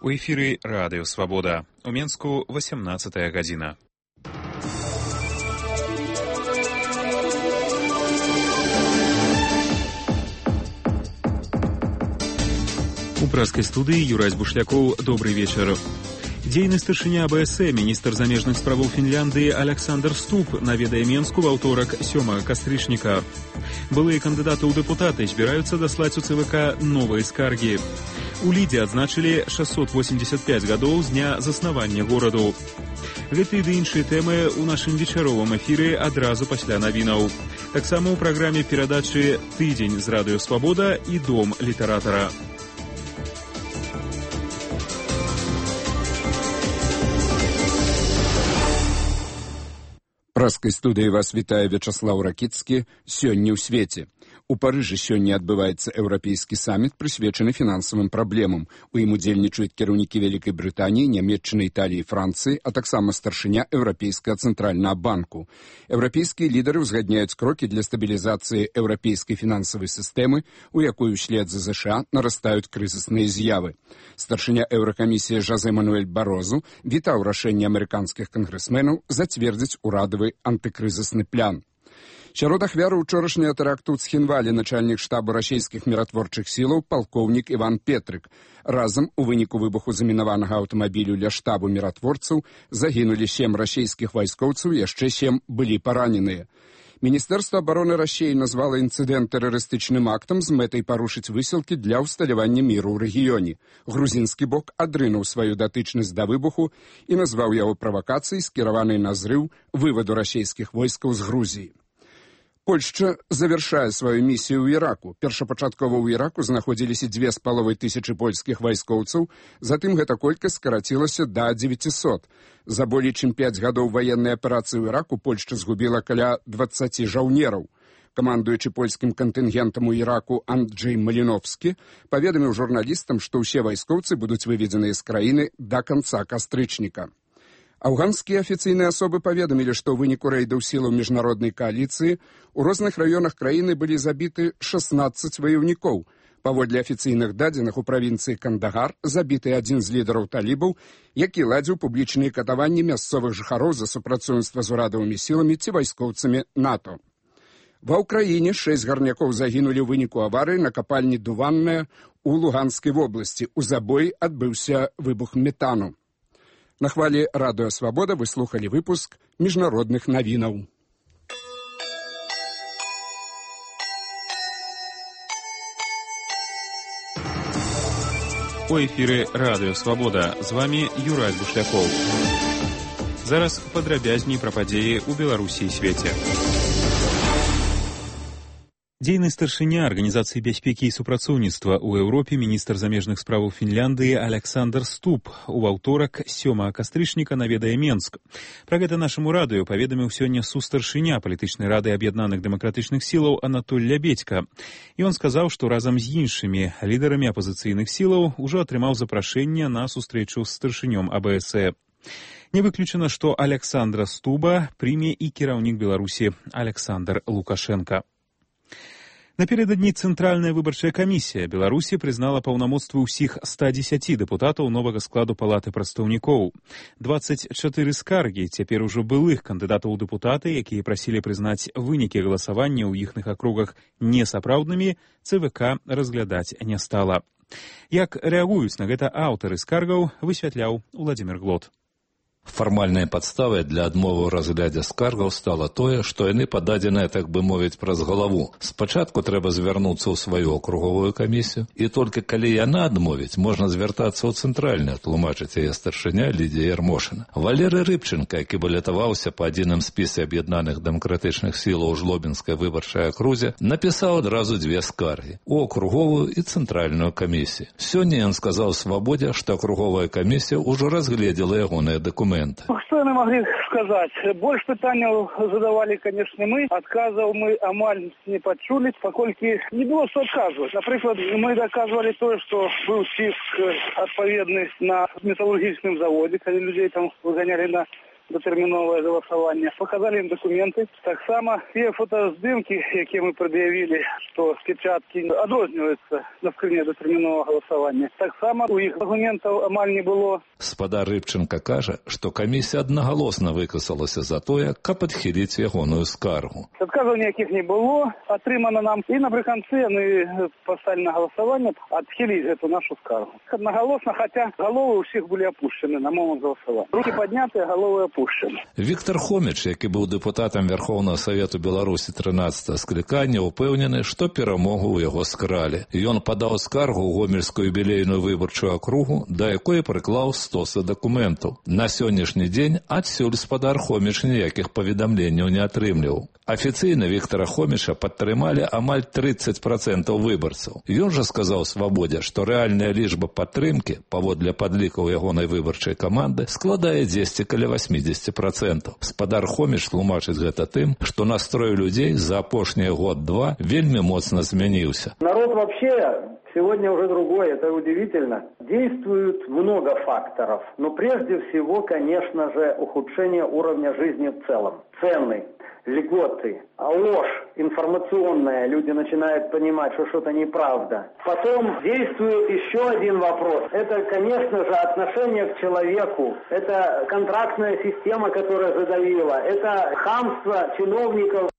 У эфіры Радыё Свабода. У Менску 18 гадзіна. У праскай студыі Юрась Бушлякоў. Добрый вечар. Дзейны старшыня АБС, міністр замежных справаў Фінляндыі Александр Ступ наведае Менску ва ўторак 7 кастрычніка. Былыя кандыдаты ў дэпутаты збіраюцца даслаць у ЦВК новыя скаргі. У Лідзе адзначылі 685 гадоў з дня заснавання гораду. Гэты ды іншыя тэмы ў нашым вечаровым эфіры адразу пасля навінаў. Таксама ў праграме перадачы «Тыдзень з Радыё Свабода» і «Дом літаратара». Праскай студыі вас вітае Вячаслаў Ракіцкі. Сёння ў свеце. У Парыжы сёння адбываецца еўрапейскі саміт, прысвечаны фінансавым праблемам. У ім удзельнічаюць кіраўнікі Вялікай Брытаніі, Нямецчыны, Італіі, Францыі, а таксама старшыня Еўрапейскага цэнтральнага банку. Еўрапейскія лідары ўзгадняюць крокі для стабілізацыі еўрапейскай фінансавай сістэмы, у якой услед за ЗША нарастаюць крызісныя з'явы. Старшыня Еўракамісіі Жозе Мануэль Барозу вітаў рашэнне амерыканскіх кангрэсменаў зацвердзіць урадавы антыкрызісны план. Сярод ахвяраў учорашняга тэракту ў Цхінвалі начальнік штабу расійскіх міратворчых сілаў палкоўнік Іван Петрык. Разам у выніку выбуху замінаванага аўтамабілю ля штабу міратворцаў загінулі 7 расійскіх вайскоўцаў, яшчэ 7 былі параненыя. Міністэрства абароны Расіі назвала інцыдэнт тэрарыстычным актам з мэтай парушыць высілкі для ўсталявання міру ў рэгіёне. Грузінскі бок адрынуў сваю датычнасць да выбуху і назваў яго правакацыяй, скіраванай на зрыў вываду расійскіх войскаў з Грузіі. Польшча завяршае сваю місію ў Іраку. Першапачаткова ў Іраку знаходзіліся 2500 польскіх вайскоўцаў, затым гэта колькасць скарацілася да 900. За болей чым 5 гадоў ваеннай аперацыі ў Іраку Польшча згубіла каля 20 жаўнераў. Камандуючы польскім кантынгентам у Іраку Анджэй Маліновскі паведаміў журналістам, што ўсе вайскоўцы будуць выведзеныя з краіны да канца кастрычніка. Афганскія афіцыйныя асобы паведамілі, што ў выніку рэйдаў сілаў міжнароднай кааліцыі ў розных раёнах краіны былі забіты 16 ваяўнікоў. Паводле афіцыйных дадзеных у правінцыі Кандагар забіты адзін з лідараў талібаў, які ладзіў публічныя катаванні мясцовых жыхароў за супрацоўніцтва з урадавымі сіламі ці вайскоўцамі НАТО. Ва ўкраіне 6 гарнякоў загінулі ў выніку аварыі на капальні Дуванная ў Луганскай вобласці. У забоі адбыўся выбух метану. На хвалі Радыё Свабода вы слухалі выпуск міжнародных навінаў. У эфіры Радыё Свабода. З вами Юрась Бушлякоў. Зараз падрабязней пра падзеі ў Беларусі і свеце. Дзейны старшыня Арганізацыі бяспекі і супрацоўніцтва ў Еўропе міністр замежных справаў Фінляндыі Александр Ступ у аўторак 7 кастрычніка наведае Менск. Пра гэта нашаму радыё паведаміў сёння сустаршыня палітычнай рады аб'яднаных дэмакратычных сілаў Анатоль Лябедзька. І ён сказаў, што разам з іншымі лідарамі апазіцыйных сілаў ужо атрымаў запрашэнне на сустрэчу з старшынём АБС. Не выключана, што Александра Стуба прыме і кіраўнік Беларусі Александр Лукашенко. Напередадні Цэнтральная выбарчая камісія Беларусі прызнала паўнамоцтвы ўсіх 110 дэпутатаў новага складу палаты прадстаўнікоў. 24 скаргі цяпер ужо былых кандыдатаў у дэпутаты, якія прасілі прызнаць вынікі галасавання ў іхных акругах несапраўднымі, ЦВК разглядаць не стала. Як рэагуюць на гэта аўтары скаргаў, высвятляў Уладзімір Глот. Фармальнай падставай для адмовы ў разглядзе скаргаў стала тое, што яны пададзеныя, так бы мовіць, праз галаву. Спачатку трэба звярнуцца ў сваю акруговую камісію, і толькі калі яна адмовіць, можна звяртацца ў цэнтральную, тлумачыць яе старшыня Лідзія Ярмошына. Валерый Рыбченка, які балятаваўся па адзіным спісе аб'яднаных дэмакратычных сілаў у Жлобінскай выбарчай акрузе, напісаў адразу 2 скаргі – у акруговую і цэнтральную камісію. Сёння ён сказаў Свабодзе, што акруговая камісія ўжо разгледзела ягоныя дакументы. Что мы могли сказать? Больше пытаний задавали, конечно, мы. Отказов мы амаль не почули, покольки не было что отказывать. Например, мы доказывали то, что был список отповедный на металлургическом заводе, когда людей там выгоняли на датэрміновае галасаванне. Показали ім дакументы. Таксама те фотаздымкі, якія мы прад'явілі, што печаткі адрозніваюцца на скрыне датэрміновага галасавання. Таксама у іх дакументаў амаль не было. Спадар Рыбченко кажа, што камісія аднагалосна выказалася за тое, каб адхіліць ягоную скаргу. Адказаў ніякіх не было, атрымана нам. І напрыканцы яны паставілі на галасаванне адхіліць гэту нашу скаргу. Аднагалосна, хаця галовы ўсіх былі апушчаны на момант галасавання. Рукі паднятыя, галовы апушчаны. Віктор Хоміч, які быў дэпутатам Верховнага Савету Беларусі 13 склікання, упэўнены, што перамогу ў яго скралі. Ён падаў скаргу ў гомельскую юбілейную выбарчую акругу, да якой прыклаў стосы дакументаў. На сённяшні дзень адсюль спадар Хоміч ніякіх паведамленняў не атрымліваў. Афіцыйна Віктора Хоміча падтрымалі амаль 30% выбарцаў. Ён жа сказаў Свабодзе, што рэальная лічба падтрымкі, паводле падлікаў ягонай выбарчай каманды, складае дзесьці каля 80%. Спадар Хоміч тлумачыць гэта тым, што настрой людзей за апошнія год-два вельмі моцна змяніўся. Народ вообще сегодня уже другой, это удивительно. Действует много факторов, но прежде всего, конечно же, ухудшение уровня жизни в целом. Цены, льготы, ложь информационная, люди начинают понимать, что что-то неправда. Потом действует еще один вопрос. Это, конечно же, отношение к человеку. Это контрактная система, которая задавила. Это хамство чиновников.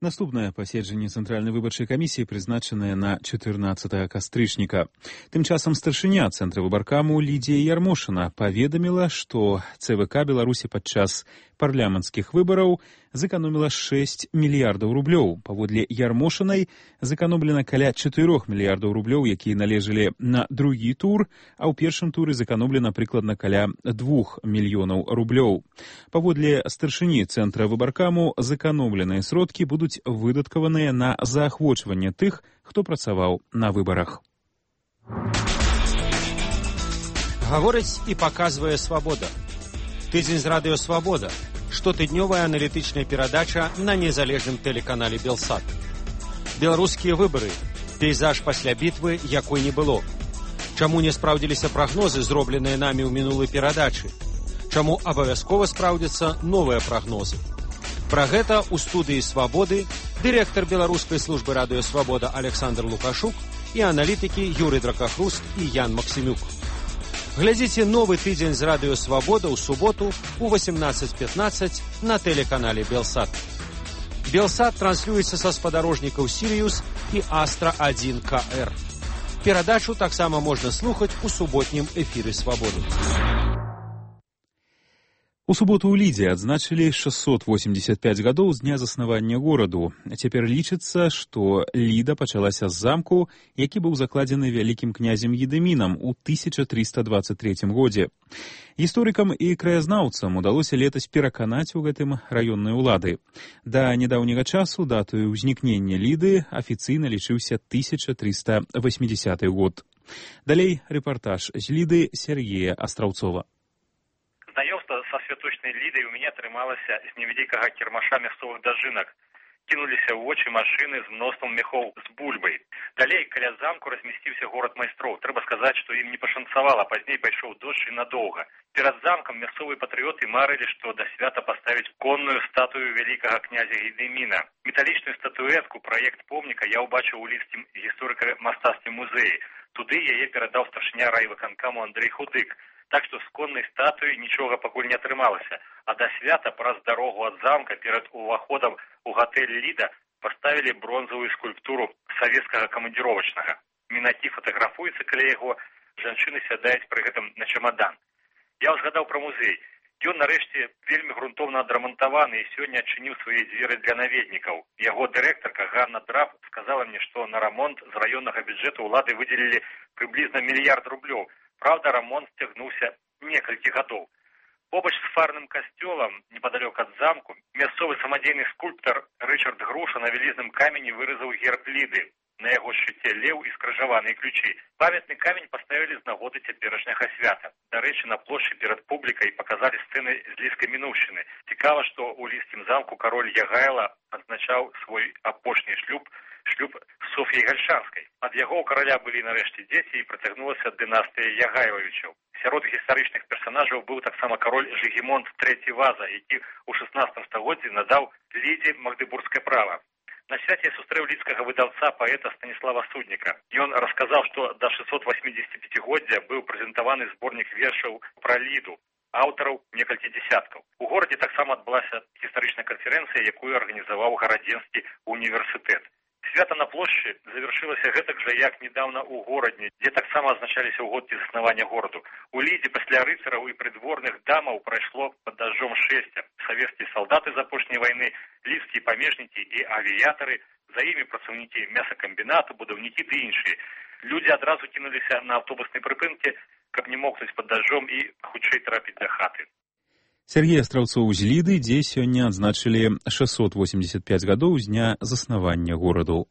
Наступнае паседжанне Цэнтральнай выбарчай камісіі прызначанае на 14 кастрычніка. Тым часам старшыня Цэнтра выбаркаму Лідія Ярмошына паведаміла, што ЦВК Беларусі падчас парламенцкіх выбараў зэканоміла 6 мільярдаў рублёў. Паводле Ярмошынай зэканомлена каля 4 мільярдаў рублёў, якія належалі на другі тур, а ў першым туры зэканомлена прыкладна каля 2 мільёнаў рублёў. Паводле старшыні Цэнтра выбаркаму зэканомленыя сродкі будуць выдаткаваныя на заахвочванне тых, хто працаваў на выбарах. Гаворыць і паказвае Свабода. Тыдзень з радыё Свабода. Штотыднёвая аналітычная перадача на незалежным тэлеканале Белсат. Беларускія выбары. Пейзаж пасля бітвы, якой не было. Чаму не спраўдзіліся прагнозы, зробленыя намі ў мінулай перадачы? Чаму абавязкова спраўдзяцца новыя прагнозы? Пра гэта ў студыі Свабоды дырэктар беларускай службы радыё Свабода Александр Лукашук і аналітыкі Юрый Дракахруст і Ян Максімюк. Глядзіце новы тыдзень з радыё Свабода ў суботу ў 18:15 на тэлеканале Белсат. Белсат транслюецца са спадарожнікаў Сірыюс і Астра-1 КР. Перадачу таксама можна слухаць у суботнім эфіры Свабоды. У суботу ў Лідзе адзначылі 685 гадоў з дня заснавання гораду. Цяпер лічыцца, што Ліда пачалася з замку, які быў закладзены вялікім князем Едымінам у 1323 годзе. Гісторыкам і краязнаўцам удалося летась пераканаць у гэтым раённыя ўлады. Да нядаўняга часу датаю ўзнікнення Ліды афіцыйна лічыўся 1380 год. Далей рэпартаж з Ліды Сергея Астраўцова. Знаёмства са святочнай Лідай у мяне атрымалася з невялікага кірмаша мясцовых дажынак. Кінуліся ў вочы машыны з мноствам мехоў з бульбай. Далей каля замку размясціўся горад майстроў. Трэба сказаць, што ім не пашанцавала, пазней пайшоў дождж і надоўга. Перад замкам мясцовыя патрыёты марылі, што да свята паставіць конную статую вялікага князя Едыміна. Металічную статуэтку, праект помніка я ўбачыў у лідскім гісторыка-мастацкім музеі. Туды яе перадаў старшыня райвыканкаму Андрэй Худык. Так што з коннай статуі нічога пакуль не атрымалася. А да свята праз дарогу ад замка перад уваходам у гатэль Ліда паставілі бронзавую скульптуру савецкага камандзіровачнага. Мінакі фатаграфуюцца каля яго, жанчыны сядаюць пры гэтым на чамадан. Я ўзгадаў пра музей. Ён нарэшце вельмі грунтоўна адрамантаваны і сёння адчыніў свае дзверы для наведнікаў. Яго дырэктарка Ганна Драб сказала мне, што на рамонт з раённага бюджэту ўлады выдзелілі прыблізна 1 мільярд рублёў. Правда, рамонт сцягнуўся некалькі гадоў. Побач з фарным касцёлам, непадалёк ад замку, мясцовы самадзейны скульптар Рычард Груша на вялізным камені выразаў герб Ліды. На яго шчыце леў і скрыжаваныя ключы. Памятны камень паставілі з нагоды цяперашняга свята. Дарэчы, на плошчы перад публікай паказалі сцэны з ліскай мінуўшчыны. Цікава, што ў лідскім замку кароль Ягайла адзначаў свой апошні шлюб з шлюб з Соф'яй Гальшанскай. Ад яго ў караля былі нарэшце дзеці і працягнулася дынастыя Ягайлавічаў. Сярод гістарычных персанажаў быў таксама кароль Жыгімонт III Ваза, які ў 16 стагоддзі надаў Лідзе магдыбургскае права. На свяце я сустрэў лідскага выдаўца паэта Станіслава Судніка. Ён расказаў, што да 685-годдзя быў прэзентаваны зборнік вершаў пра Ліду, аўтараў некалькі дзесяткаў. У горадзе таксама адбылася гістарычная канферэнцыя, якую арганізаваў гарадзенскі універсітэт. Свята на плошчы завяршылася гэтак жа, як недаўна ў горадні, дзе таксама азначаліся ўгодкі заснавання гораду. У Лідзе пасля рыцараў і прыдворных дамаў прайшло пад дажджом шэсця. Савецкія салдаты з апошняй вайны, лідскія памежнікі і авіятары, за імі працаўнікі мясакамбінату, будаўнікі ды іншыя. Людзі адразу кінуліся на аўтобуснай прыпынкі, каб не мокнуць пад дажджом і хутчэй трапіць да хаты. Сергей Астраўцоў з Ліды, дзе сёння адзначылі 685 гадоў з дня заснавання гораду.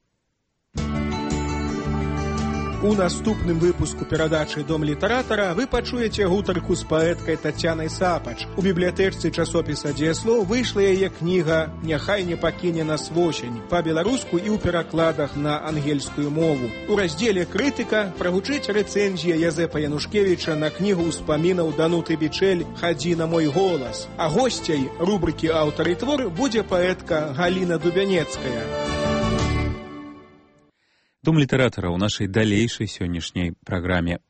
У наступным выпуску перадачы «Дом літаратара» вы пачуеце гутарку з паэткай Тацянай Сапач. У бібліятэчцы часопіса «Дзеяслоў» выйшла яе кніга «Няхай не пакіне нас восень» па-беларуску і ў перакладах на ангельскую мову. У раздзеле «Крытыка» прагучыць рэцэнзія Язэпа Янушкевіча на кнігу ўспамінаў Дануты Бичэль «Хадзі на мой голас». А госцяй рубрыкі «Аўтар і твор» будзе паэтка Галіна Дубянецкая. Дом літаратара ў нашай далейшай сённяшняй праграме.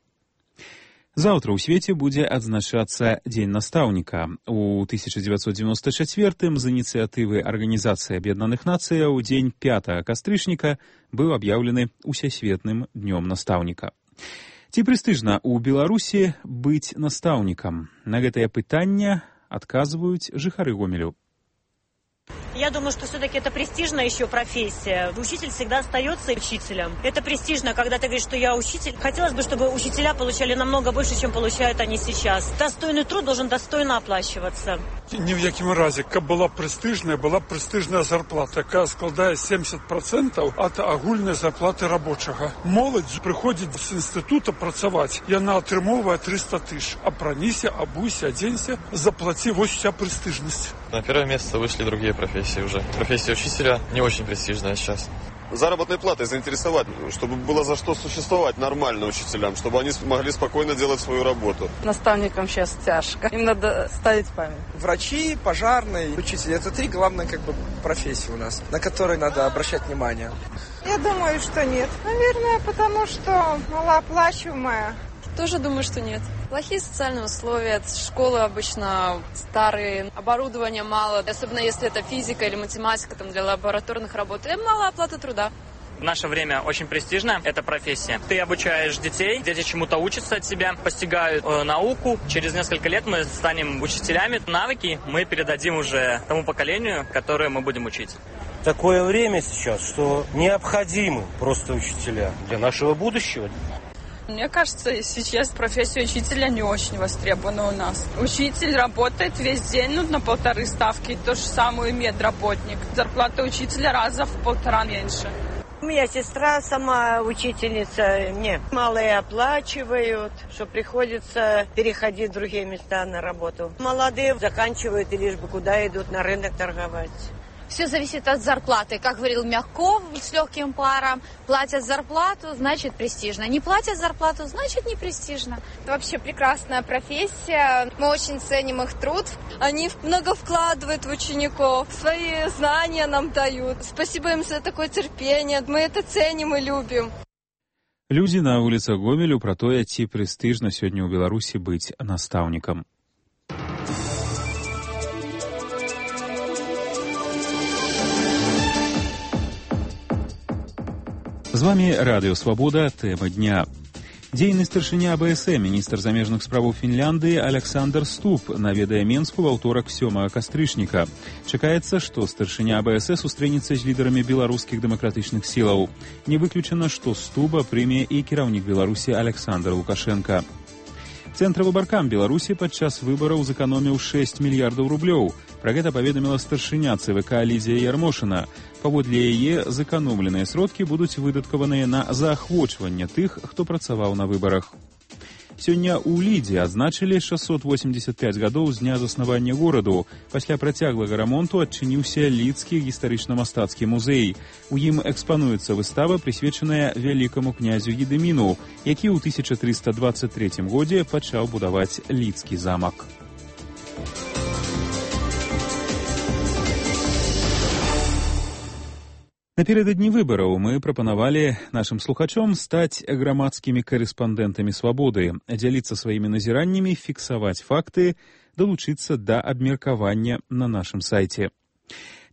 Заўтра ў свеце будзе адзначацца Дзень настаўніка. У 1994-м з ініцыятывы Арганізацыі Аб'яднаных Нацыяў дзень 5 кастрычніка быў аб'яўлены усесветным днём настаўніка. Ці прэстыжна ў Беларусі быць настаўнікам? На гэтае пытанне адказваюць жыхары Гомелю. Я думаю, что все-таки это престижная еще профессия. Учитель всегда остается учителем. Это престижно, когда ты говоришь, что я учитель. Хотелось бы, чтобы учителя получали намного больше, чем получают они сейчас. Достойный труд должен достойно оплачиваться. Ні в якім разі, каб была прэстыжная зарплата, якая складае 70% ад агульнай зарплаты рабочага. Моладзь прыходзіць з інстытута працаваць, яна атрымоўвае 300 тысяч. Апраніся, абуйся, адзенься, заплаці, вось уся прэстыжнасць. На первое место вышли другие профессии уже. Профессия учителя не очень престижная сейчас. Заработной платой заинтересовать, чтобы было за что существовать нормально учителям, чтобы они могли спокойно делать свою работу. Наставникам сейчас тяжко. Им надо ставить память. Врачи, пожарные, учитель. Это три главные профессии у нас, на которые надо обращать внимание. Я думаю, что нет. Наверное, потому что малооплачиваемая. Тоже думаю, что нет. Плохие социальные условия, школы обычно старые, оборудования мало, особенно если это физика или математика там, для лабораторных работ, и мало оплаты труда. В наше время очень престижно эта профессия. Ты обучаешь детей, дети чему-то учатся от тебя, постигают науку. Через несколько лет мы станем учителями. Навыки мы передадим уже тому поколению, которое мы будем учить. Такое время сейчас, что необходимы просто учителя для нашего будущего. Мне кажется, сейчас профессия учителя не очень востребована у нас. Учитель работает весь день, на 1,5 ставки, то же самое и медработник. Зарплата учителя раза в 1,5 меньше. У меня сестра сама учительница, мне малые оплачивают, что приходится переходить в другие места на работу. Молодые заканчивают и лишь бы куда идут на рынок торговать. Все зависит от зарплаты. Как говорил Мягков с легким паром, платят зарплату, значит престижно. Не платят зарплату, значит не престижно. Это вообще прекрасная профессия. Мы очень ценим их труд. Они много вкладывают в учеников, свои знания нам дают. Спасибо им за такое терпение. Мы это ценим и любим. Людзі на вуліцах Гомелю пра тое, ці прэстыжна сёння ў Беларусі быць настаўнікам. З вами Радыё Свабода, тэма дня. Дзейны старшыня АБСМ, міністр замежных справаў Фінляндыі Александр Ступ наведае Менску ва ўторак 7 кастрычніка. Чакаецца, што старшыня АБС сустрэнецца з лідарамі беларускіх дэмакратычных сілаў. Не выключана, што Стуба прыме і кіраўнік Беларусі Александр Лукашенко. Цэнтр-выбаркам Беларусі падчас выбараў зэканоміў 6 мільярдаў рублёў. Пра гэта паведаміла старшыня ЦВК Лідзія Ярмошына. Паводле яе, зэканомленыя сродкі будуць выдаткаваныя на заахвочванне тых, хто працаваў на выбарах. Сёння ў Лідзе адзначылі 685 гадоў з дня заснавання гораду. Пасля працяглага рамонту адчыніўся Лідскі гістарычна-мастацкі музей. У ім экспануецца выстава, прысвечаная вялікаму князю Гедыміну, які ў 1323 годзе пачаў будаваць Лідскі замак. Напередадні выбараў мы прапанавалі нашым слухачом стаць грамадскімі карэспандэнтамі свабоды, дзяліцца сваімі назіраннямі, фіксаваць факты, далучыцца да абмеркавання на нашым сайце.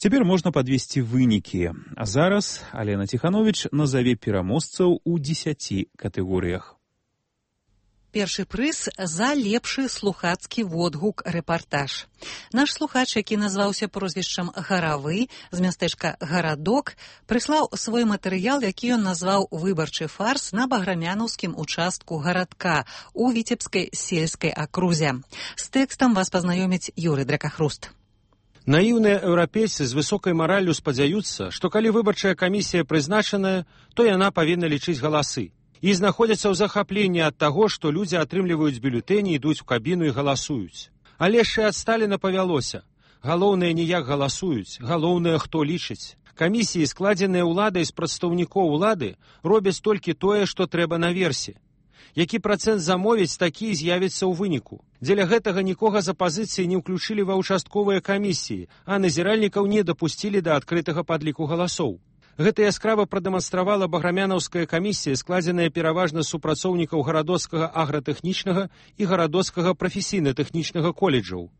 Цяпер можна падвесці вынікі. А зараз Алена Ціхановіч назаве пераможцаў у 10 катэгорыях. Першы прыз за лепшы слухацкі водгук-рэпартаж. Наш слухач, які назваўся прозвішчам Гаравы з мястэчка Гарадок, прыслаў свой матэрыял, які ён назваў «Выбарчы фарс» на баграмянаўскім участку гарадка у Віцебскай сельскай акрузе. З тэкстам вас пазнаёміць Юрый Дракахруст. Наіўныя еўрапейцы з высокай мараллю спадзяюцца, што калі выбарчая камісія прызначаная, то яна павінна лічыць галасы. І знаходзяцца ў захапленні ад таго, што людзі атрымліваюць бюлетэні, ідуць у кабіну і галасуюць. Але ж і ад Сталіна павялося. Галоўнае не як галасуюць, галоўнае хто лічыць. Камісіі, складзеныя ўладай з прадстаўнікоў улады, робяць толькі тое, што трэба наверсе. Які працэнт замовіць, такі з'явіцца ў выніку. Дзеля гэтага нікога з апазіцыі не ўключылі ва ўчастковыя камісіі, а назіральнікаў не дапусцілі да адкрытага падліку галасоў. Гэта яскрава прадэманстравала баграмянаўская камісія, складзеная пераважна з супрацоўнікаў гарадоцкага агратэхнічнага і гарадоцкага прафесійна-тэхнічнага коледжаў.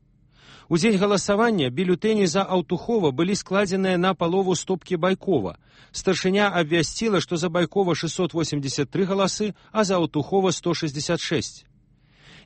У дзень галасавання бюлетэні за Аўтухова былі складзеныя на палову стопкі Байкова. Старшыня абвясціла, што за Байкова 683 галасы, а за Аўтухова 166.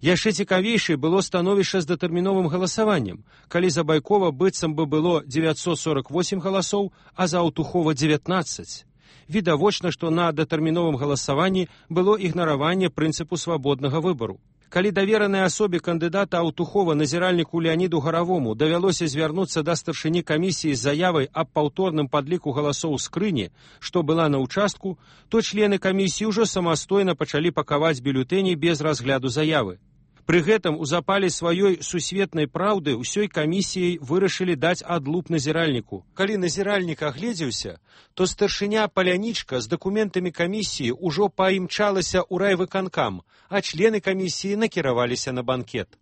Яшчэ цікавейшай было становішча з датэрміновым галасаваннем, калі за Байкова быццам бы было 948 галасоў, а за Аўтухова 19. Відавочна, што на датэрміновым галасаванні было ігнараванне прынцыпу свабоднага выбару. Калі даверанай асобе кандыдата Аўтухова назіральніку Леаніду Гаравому давялося звярнуцца да старшыні камісіі з заявай аб паўторным падліку галасоў скрыні, што была на ўчастку, то члены камісіі ўжо самастойна пачалі пакаваць бюлетэні без разгляду заявы. Пры гэтым у запале сваёй сусветнай праўды ўсёй камісіяй вырашылі даць адлуп назіральніку. Калі назіральнік агледзеўся, то старшыня Палянічка з дакументамі камісіі ўжо паімчалася ў райвыканкам, а члены камісіі накіраваліся на банкет.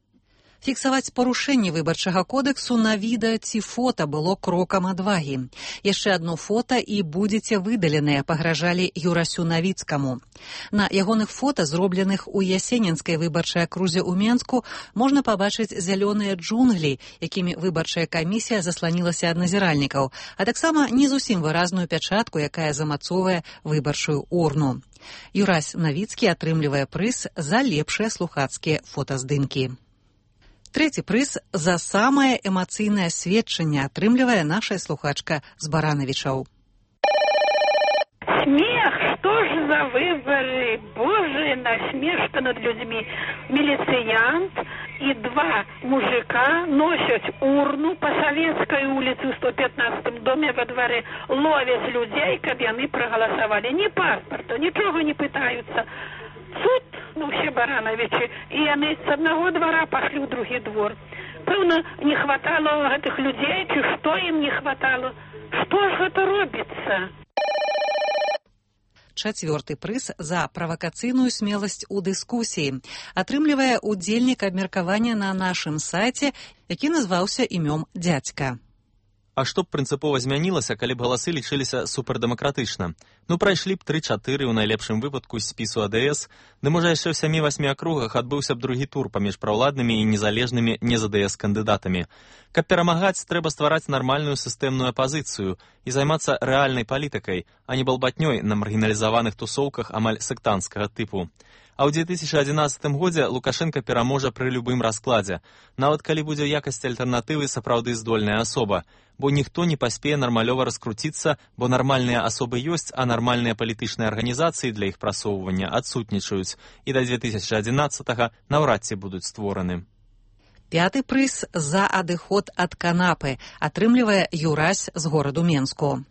Фіксаваць парушэнні выбарчага кодэксу на відэа ці фота было крокам адвагі. Яшчэ адно фота і будзеце выдаленыя, пагражалі Юрасю Навіцкаму. На ягоных фота, зробленых у Ясенінскай выбарчай акрузе ў Менску, можна пабачыць зялёныя джунглі, якімі выбарчая камісія засланілася ад назіральнікаў, а таксама не зусім выразную пячатку, якая замацоўвае выбарчую урну. Юрась Навіцкі атрымлівае прыз за лепшыя слухацкія фотаздымкі. Трэці прыз за самае эмацыйнае сведчанне атрымлівае наша слухачка з Баранавічаў. Смех, что ж за выборы, боже, насмешка над людьми. Милициянт и два мужика носят урну по Советской улице в 115-м доме во дворе, ловят людей, как яны проголосовали. Ни паспорта, ничего не пытаются. Суд, все Барановичи, и они с одного двора пошли в другой двор. Певно, не хватало этих людей, чи что им не хватало? Что ж это робится? Чацвёрты прыз за правакацыйную смеласць у дыскусіі атрымлівае удзельнік абмеркавання на нашым сайце, які назваўся імём дзядзька. А што б прынцыпова змянілася, калі б галасы лічыліся супердэмакратычна? Прайшлі б 3-4 у найлепшым выпадку з спісу АДС, ды можа яшчэ ў 7-8 акругах адбыўся б другі тур паміж праўладнымі і незалежнымі не-ЗДС кандыдатамі. Каб перамагаць, трэба ствараць нармальную сістэмную апазіцыю і займацца рэальнай палітыкай, а не балбатнёй на маргіналізаваных тусоўках амаль сектанцкага тыпу. А ў 2011 годзе Лукашенка пераможа пры любым раскладзе, нават калі будзе ў якасці альтэрнатывы сапраўды здольная асоба, бо ніхто не паспее нармалёва раскруціцца, бо нармальныя асобы ёсць, а нармальныя палітычныя арганізацыі для іх прасоўвання адсутнічаюць, і да 2011-га наўрад ці будуць створаны. Пяты прыз за адыход ад канапы атрымлівае Юрась з гораду Менску.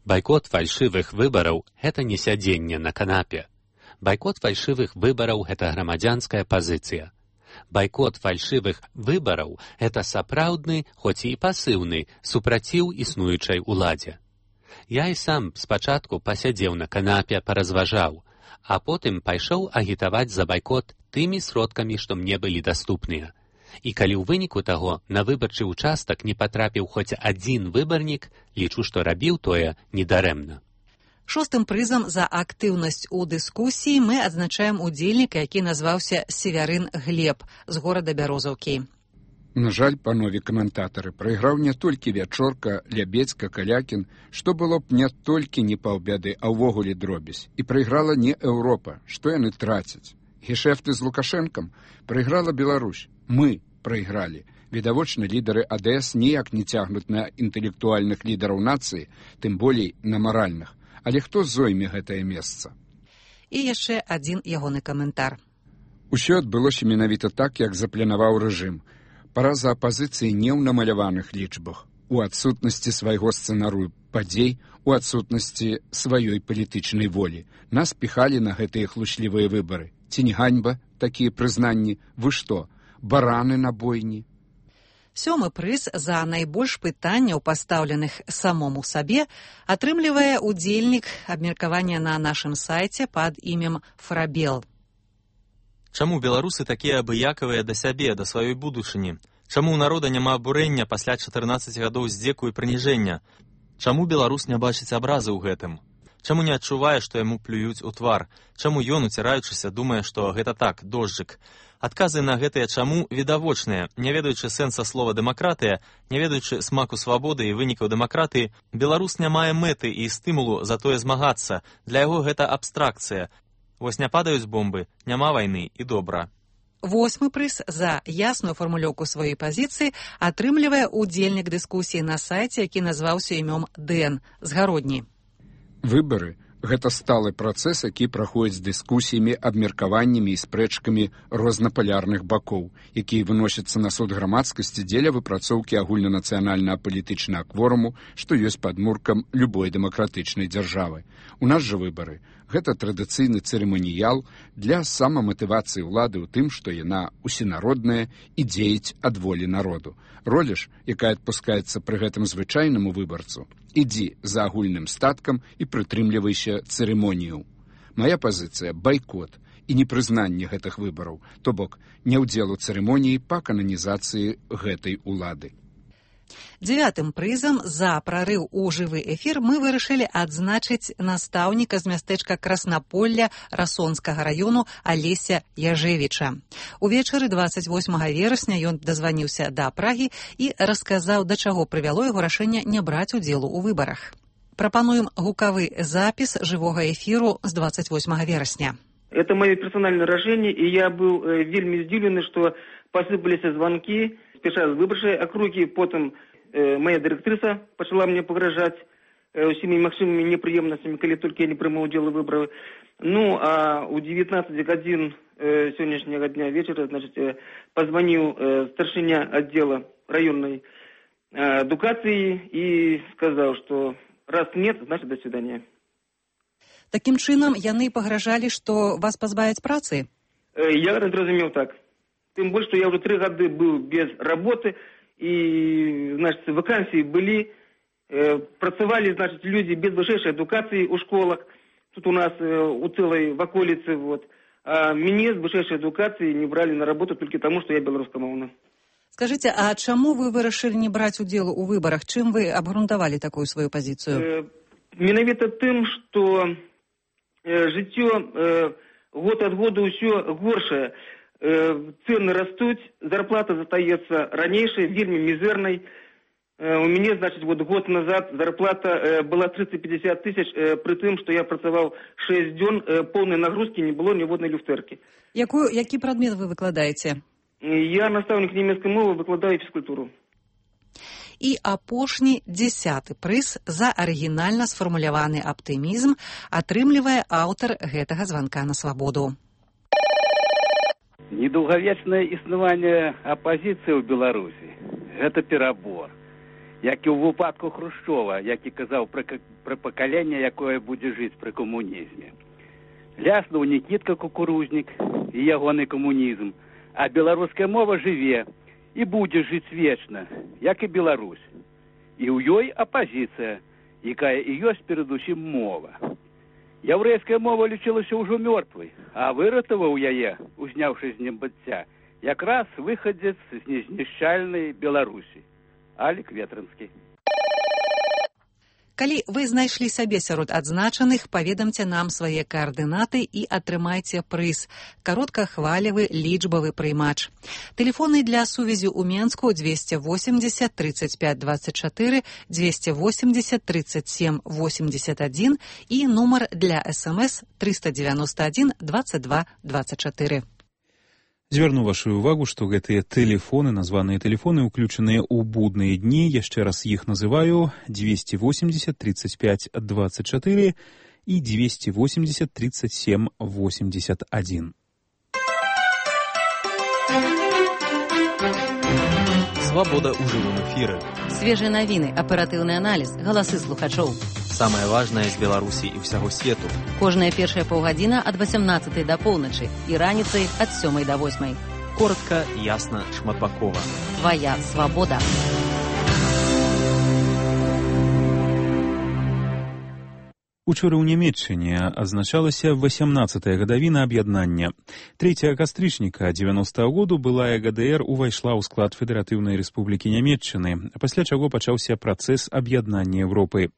Байкот фальшывых выбараў – гэта не сядзенне на канапе. Байкот фальшывых выбараў – гэта грамадзянская пазіцыя. Байкот фальшывых выбараў – гэта сапраўдны, хоць і пасыўны, супраціў існуючай уладзе. Я і сам спачатку пасядзеў на канапе, паразважаў, а потым пайшоў агітаваць за байкот тымі сродкамі, што мне былі даступныя. І калі ў выніку таго на выбарчы ўчастак не патрапіў хоць адзін выбарнік, лічу, што рабіў тое недарэмна. Шостым прызам за актыўнасць у дыскусіі мы адзначаем удзельніка, які назваўся Севярын Глеб з горада Бярозаўкі. На жаль, панове каментатары, прайграў не толькі Вячорка, Лябедзька, Калякін, што было б не толькі не паўбяды, а ўвогуле дробязь. І прайграла не Еўропа, што яны трацяць. Гешэфты з Лукашэнкам прайграла Беларусь. Мы прайгралі. Відавочна, лідары АДС ніяк не цягнуць на інтэлектуальных лідараў нацыі, тым болей на маральных. Але хто зойме гэтае месца? І яшчэ адзін ягоны каментар. Усё адбылося менавіта так, як запланаваў рэжым. Параза апазіцыі не ў намаляваных лічбах, у адсутнасці свайго сцэнарыю падзей, у адсутнасці сваёй палітычнай волі. Нас піхалі на гэтыя хлучлівыя выбары. Ці не ганьба такія прызнанні? Вы што, бараны на бойні? Сёмы прыз за найбольш пытанняў, пастаўленых самому сабе, атрымлівае удзельнік абмеркавання на нашым сайце пад імем Фрабел. Чаму беларусы такія абыякавыя да сябе, да сваёй будучыні? Чаму ў народа няма абурэння пасля 14 гадоў здзеку і прыніжэння? Чаму беларус не бачыць абразы ў гэтым? Чаму не адчувае, што яму плююць у твар? Чаму ён, уціраючыся, думае, што гэта так, дожджык? Адказы на гэтыя чаму відавочныя. Не ведаючы сэнса слова дэмакратыя, не ведаючы смаку свабоды і вынікаў дэмакратыі, беларус не мае мэты і стымулу за тое змагацца. Для яго гэта абстракцыя. Вось не падаюць бомбы, няма вайны і добра. Восьмы прыз за ясную фармулёўку сваёй пазіцыі атрымлівае удзельнік дыскусіі на сайце, які назваўся імём Дэн з Гародні. Выбары – гэта сталы працэс, які праходзіць з дыскусіямі, абмеркаваннямі і спрэчкамі рознапалярных бакоў, якія выносяцца на суд грамадскасці дзеля выпрацоўкі агульнанацыянальна-палітычнага кворуму, што ёсць падмуркам любой дэмакратычнай дзяржавы. У нас жа выбары – гэта традыцыйны цырыманіял для самаматывацыі ўлады ў тым, што яна усенародная і дзеяць ад волі народу. Роля ж, якая адпускаецца пры гэтым звычайнаму выбарцу, ідзі за агульным статкам і прытрымлівайся цырымонію. Мая пазіцыя – байкот і непрызнанне гэтых выбараў, то бок не ўдзел у цырымоніі па кананізацыі гэтай улады. Дзевятым прызам за прарыў у жывы эфір мы вырашылі адзначыць настаўніка з мястэчка Краснаполля Расонскага раёну Алеся Яжевіча. Увечары 28 верасня ён дазваніўся да Прагі і расказаў, да чаго прывяло яго рашэнне не браць удзелу ў выбарах. Прапануем гукавы запіс жывога эфіру з 28 верасня. Это мое персональное решение, и я был вельми здивленный, что посыпались звонки, спеша з выборчай округи, потом моя директриса почала мне погрожать всеми максимумами неприемностями, коли только я не приму удел выборов. Ну, а у 19 годин сегодняшнего дня вечера, значит, позвонил старшиня отдела районной адукации и сказал, что раз нет, значит, до свидания. Таким чынам, яны пагражалі, што вас пазбавяць працы? Я разумеў так. Тем более, что я уже 3 года был без работы, и, значит, вакансии были, працевали, значит, люди без высшей адукации у школах, тут у нас у целой в околице, вот. А меня с высшей адукацией не брали на работу только потому, что я белорусскомовна. Скажите, а чаму вы вырашылі не браць удзелу ў выбарах? Чым вы абгрунтавалі такую сваю пазіцыю? Менавіта тым, што жыццё год ад года ўсё горшае. Цены растуць, зарплата застаецца ранейшай, вельмі мізэрнай. У мяне, значит, вот год назад зарплата была 30-50 тысяч, при тым, што я працаваў 6 дзён, поўнай нагрузкі не было ніводнай люфтэркі. Які прадмет вы выкладаеце? Я настаўнік нямецкай мовы, выкладаю фізкультуру. І апошні 10-ы прыз за арыгінальна сфармуляваны аптымізм атрымлівае аўтар гэтага званка на свабоду. Недолговечное існаванне апозіцыі ў Беларусі – гэта перабор. Як і ў выпадку Хрушчова, які казаў пра пакаленне, якое будзе жыць пры камунізме. Ляснуў Нікітка Кукурузнік і ягоны камунізм, а беларуская мова жыве і будзе жыць вечна, як і Беларусь. І ў ёй апазіцыя, якая і ёсць перадусім мова. Яўрэйская мова лічылася ўжо мёртвай, а выратаваў яе, узняўшы з небыцця, якраз выхадзец з незнішчальнай Беларусі. Алік Ветрынскі. Калі вы знайшлі сабе сярод адзначаных, паведамце нам свае каардынаты і атрымайце прыз. Кароткахвалевы лічбавы прыймач. Тэлефоны для сувязі ў Менску 280 35 24, 280 37 81 і нумар для СМС 391 22 24. Звярну вашу увагу, што гэтыя тэлефоны, названыя тэлефоны, уключаныя ў будныя дні, яшчэ раз іх называю, 280 35 24 і 280 37 81. Свабода ў жывым эфіры. Свежыя навіны, аператыўны аналіз, галасы слухачоў. Самае важнае з Беларусі і ўсяго свету. Кожная першая паўгадзіна ад 18 да поўначы і раніцай ад 7 да 8. Коротка, ясна, шматбакова. Твая свабода. Учора ў Нямецчыне адзначалася 18-я гадавіна аб'яднання. 3 кастрычніка 90-го году былая ГДР увайшла ў склад Федэратыўнай Рэспублікі Нямецчыны, пасля чаго пачаўся працэс аб'яднання Еўропы.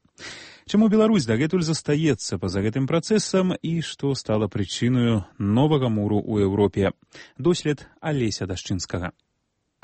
Чаму Беларусь дагэтуль застаецца па-за гэтым працэсам і што стала прычынаю новага муру ў Еўропе? Дослед Алеся Дашчынскага.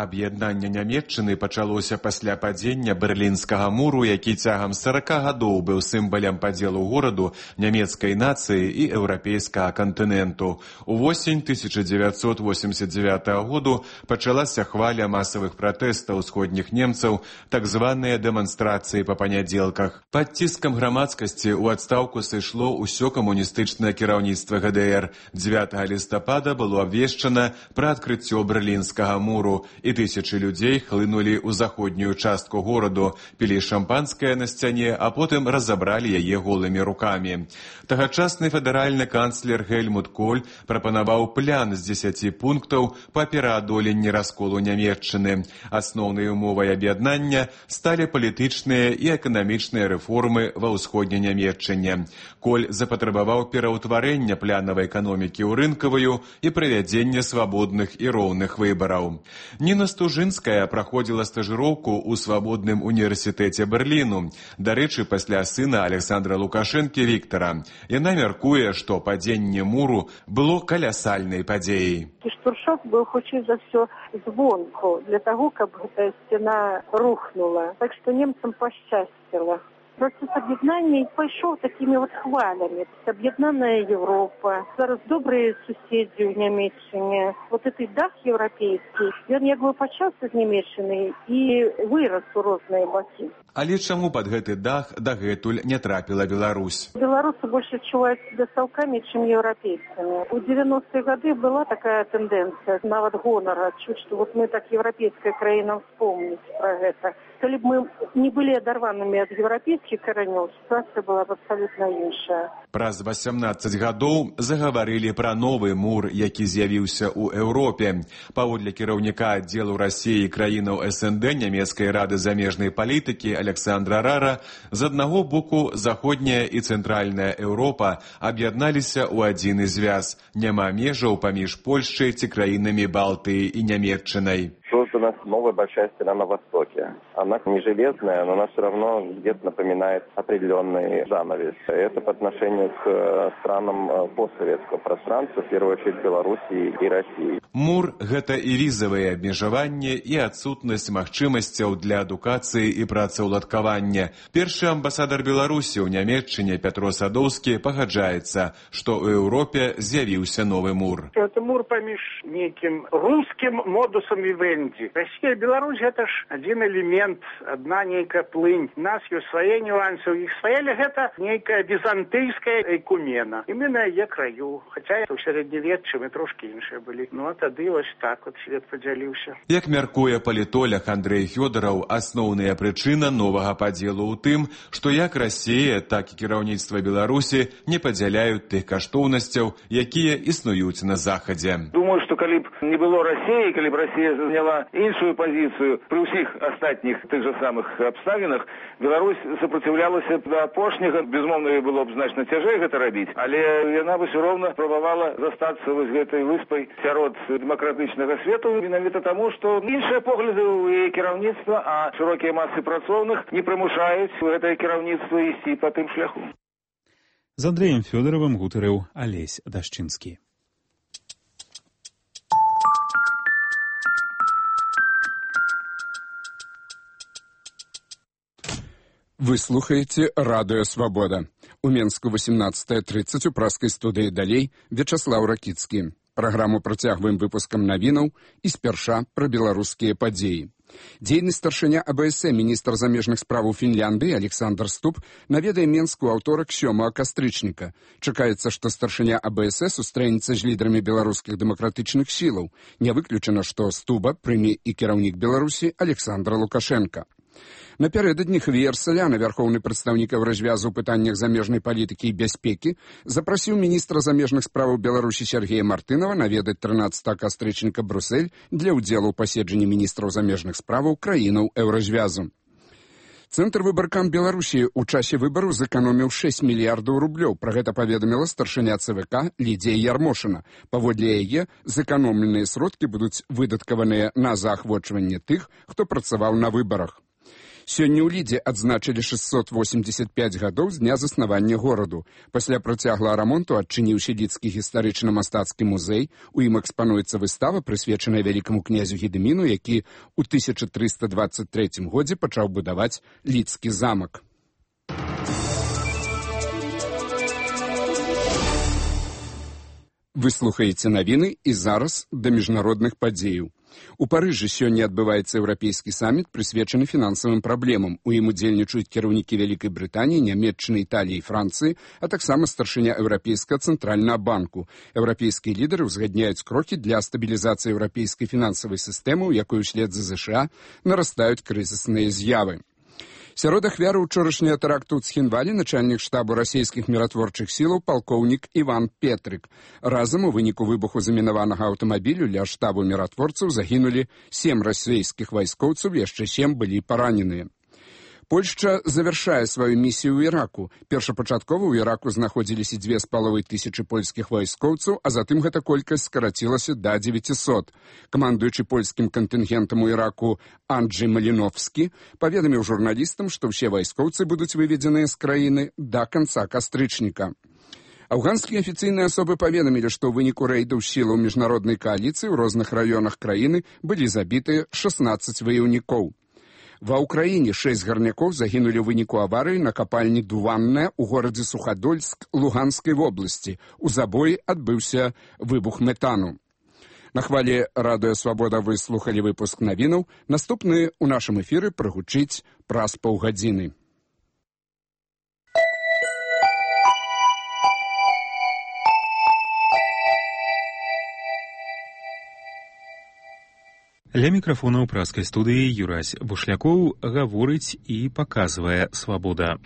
Аб'яднанне Нямецчыны пачалося пасля падзення Берлінскага муру, які цягам 40 гадоў быў сімвалам падзелу гораду, нямецкай нацыі і еўрапейскага кантыненту. Увосень 1989 году пачалася хваля масавых пратэстаў усходніх немцаў, так званыя дэманстрацыі па панядзелках. Пад ціскам грамадскасці ў адстаўку сышло ўсё камуністычнае кіраўніцтва ГДР. 9 лістапада было абвешчана пра адкрыццё Берлінскага муру, і тысячы людзей хлынулі ў заходнюю частку гораду, пілі шампанскае на сцяне, а потым разабралі яе голымі рукамі. Тагачасны федэральны канцлер Гельмут Коль прапанаваў план з 10 пунктаў па пераадоленні расколу Нямецчыны. Асноўнай умовай аб'яднання сталі палітычныя і эканамічныя рэформы ва ўсходняй Нямецчыне. Коль запатрабаваў пераўтварэння планавай эканомікі ў рынкавую і правядзення свабодных і роўных выбараў. Ніна Стужынская праходзіла стажыроўку ў свабодным універсітэце Берліну. Дарэчы, пасля сына Александра Лукашэнкі Віктара. Яна мяркуе, што падзенне муру было калясальнай падзеяй. Штуршок быў хутчэй за ўсё звонку, для таго, каб гэтая сцяна рухнула. Так што немцам пашчасціла. Процесс аб'яднання пайшоў такімі хвалямі. Аб'яднаная Еўропа, зараз добрыя суседзі ў Нямецчыне. Гэты дах еўрапейскі, ён як бы пачаўся з Нямецчыны і вырас у розныя бакі. Але чаму пад гэты дах дагэтуль не трапіла Беларусь? Беларусы больш адчуваюць себя стаўкамі, чым еўрапейцамі. У 90-е гады была такая тэндэнцыя, нават гонара, адчуць, што мы так еўрапейская краіна вспомніць пра гэта. Калі б мы не былі адарванымі ад еўрапейскіх каранёў, сітуацыя была б абсалютна іншая. Праз 18 гадоў загаварылі пра новы мур, які з'явіўся ў Еўропе. Паводле кіраўніка аддзелу Расіі і краінаў СНД нямецкай рады замежнай палітыкі Александра Рара, з аднаго боку заходняя і цэнтральная Еўропа аб'ядналіся ў адзіны звяз. Няма межаў паміж Польшчай ці краінамі Балтыі і Нямецчынай. Создана новая большая стена на востоке. Она не железная, но она все равно где-то напоминает определенный занавес. Это по отношению к странам постсоветского пространства, в первую очередь Белоруссии и России. Мур – гэта і візавыя абмежаванні, і адсутнасць магчымасцяў для адукацыі і працаўладкавання. Першы амбасадар Беларусі ў Нямецчыне Пятро Садоўскі пагаджаецца, што ў Еўропе з'явіўся новы мур. Это мур паміж нейкім рускім модусам вівенді. Россия и Беларусь – это ж один элемент, одна нейкая плынь. У нас ёсць свае нюансы, у іх свае, але гэта нейкая візантыйская экумена. І мы на яе краю. Хаця ў сярэднявеччы мы трошкі іншыя былі. Ну, от тады вось так от свет падзяліўся. Як мяркуе палітолог Андрэй Фёдараў, асноўная прычына новага падзелу ў тым, што як Расія, так і кіраўніцтва Беларусі не падзяляюць тых каштоўнасцяў, якія існуюць на Захадзе. Думаю, што калі б не было Расіі, калі б Расія заняла іншую пазіцыю пры ўсіх астатніх тых жа самых абставінах, Беларусь супраціўлялася да апошняга, безумоўна, было б значна цяжэй гэта рабіць, але яна бы ўсё роўна спрабавала застацца вось гэтай выспай сярод дэмакратычнага свету, менавіта таму, што іншыя погляды ў яе кіраўніцтва, а шырокія масы працоўных не прымушаюць гэтае кіраўніцтва ісці па тым шляху. З Андрэем Фёдаровым гутарыў Алесь Дашчынскі. Вы слухаеце радыё «Свабода». У Менску 18:30 у праскай студыі далей Вячаслаў Ракіцкі. Праграму працягваем выпускам навінаў і спярша пра беларускія падзеі. Дзейны старшыня АБС, міністр замежных справаў Фінляндыі Александр Ступ наведае Менску аўторак 7 кастрычніка. Чакаецца, што старшыня АБС сустрэнецца з лідарамі беларускіх дэмакратычных сілаў. Не выключана, што Стуба прыме і кіраўнік Беларусі Александр Лукашенко. Напярэдадні Хвіер Саляна, вярхоўны прадстаўнік Еўразвязу ў пытаннях замежнай палітыкі і бяспекі, запрасіў міністра замежных справаў Беларусі Сергея Мартынова наведаць 13 кастрычніка Брюссель для ўдзелу ў паседжанні міністраў замежных справаў краінаў Еўразвязу. Цэнтр выбаркам Беларусі ў часе выбару зэканоміў 6 мільярдаў рублёў. Пра гэта паведаміла старшыня ЦВК Лідзія Ярмошына. Паводле яе, зэканомленыя сродкі будуць выдаткаваныя на заахвочванне тых, хто працаваў на выбарах. Сёння ў Лідзе адзначылі 685 гадоў з дня заснавання гораду. Пасля працяглага рамонту адчыніўся Лідскі гістарычна-мастацкі музей. У ім экспануецца выстава, прысвечаная вялікаму князю Гедыміну, які ў 1323 годзе пачаў будаваць Лідскі замак. Вы слухаеце навіны і зараз да міжнародных падзеяў. У Парыжы сёння адбываецца еўрапейскі саміт, прысвечаны фінансавым праблемам. У ім удзельнічаюць кіраўнікі Вялікай Брытаніі, Нямецчыны, Італіі і Францыі, а таксама старшыня Еўрапейскага цэнтральнага банку. Еўрапейскія лідары ўзгадняюць крокі для стабілізацыі еўрапейскай фінансавай сістэмы, у якой услед за ЗША нарастаюць крызісныя з'явы. Сярод ахвяраў учорашняга тэракту ў Цхінвалі начальнік штабу расійскіх міратворчых сілаў палкоўнік Іван Петрык. Разам у выніку выбуху замінаванага аўтамабілю ля штабу міратворцаў загінулі 7 расійскіх вайскоўцаў, яшчэ 7 былі параненыя. Польшча завяршае сваю місію ў Іраку. Першапачаткова ў Іраку знаходзіліся 2500 польскіх вайскоўцаў, а затым гэта колькасць скарацілася да 900. Камандуючы польскім кантынгентам у Іраку Анджэй Маліновскі паведаміў журналістам, што ўсе вайскоўцы будуць выведзеныя з краіны да канца кастрычніка. Афганскія афіцыйныя асобы паведамілі, што ў выніку рэйдаў сілаў міжнароднай кааліцыі ў розных раёнах краіны былі забітыя 16 ваяўнікоў. Ва ўкраіне 6 гарнякоў загінулі ў выніку аварыі на капальні Дуванная ў горадзе Сухадольск Луганскай вобласці. У забоі адбыўся выбух метану. На хвалі радыё «Свабода» вы слухалі выпуск навінаў. Наступны ў нашым эфіры прагучыць праз паўгадзіны. Ля мікрафона ў праскай студыі Юрась Бушлякоў гаворыць і паказвае «Свабода».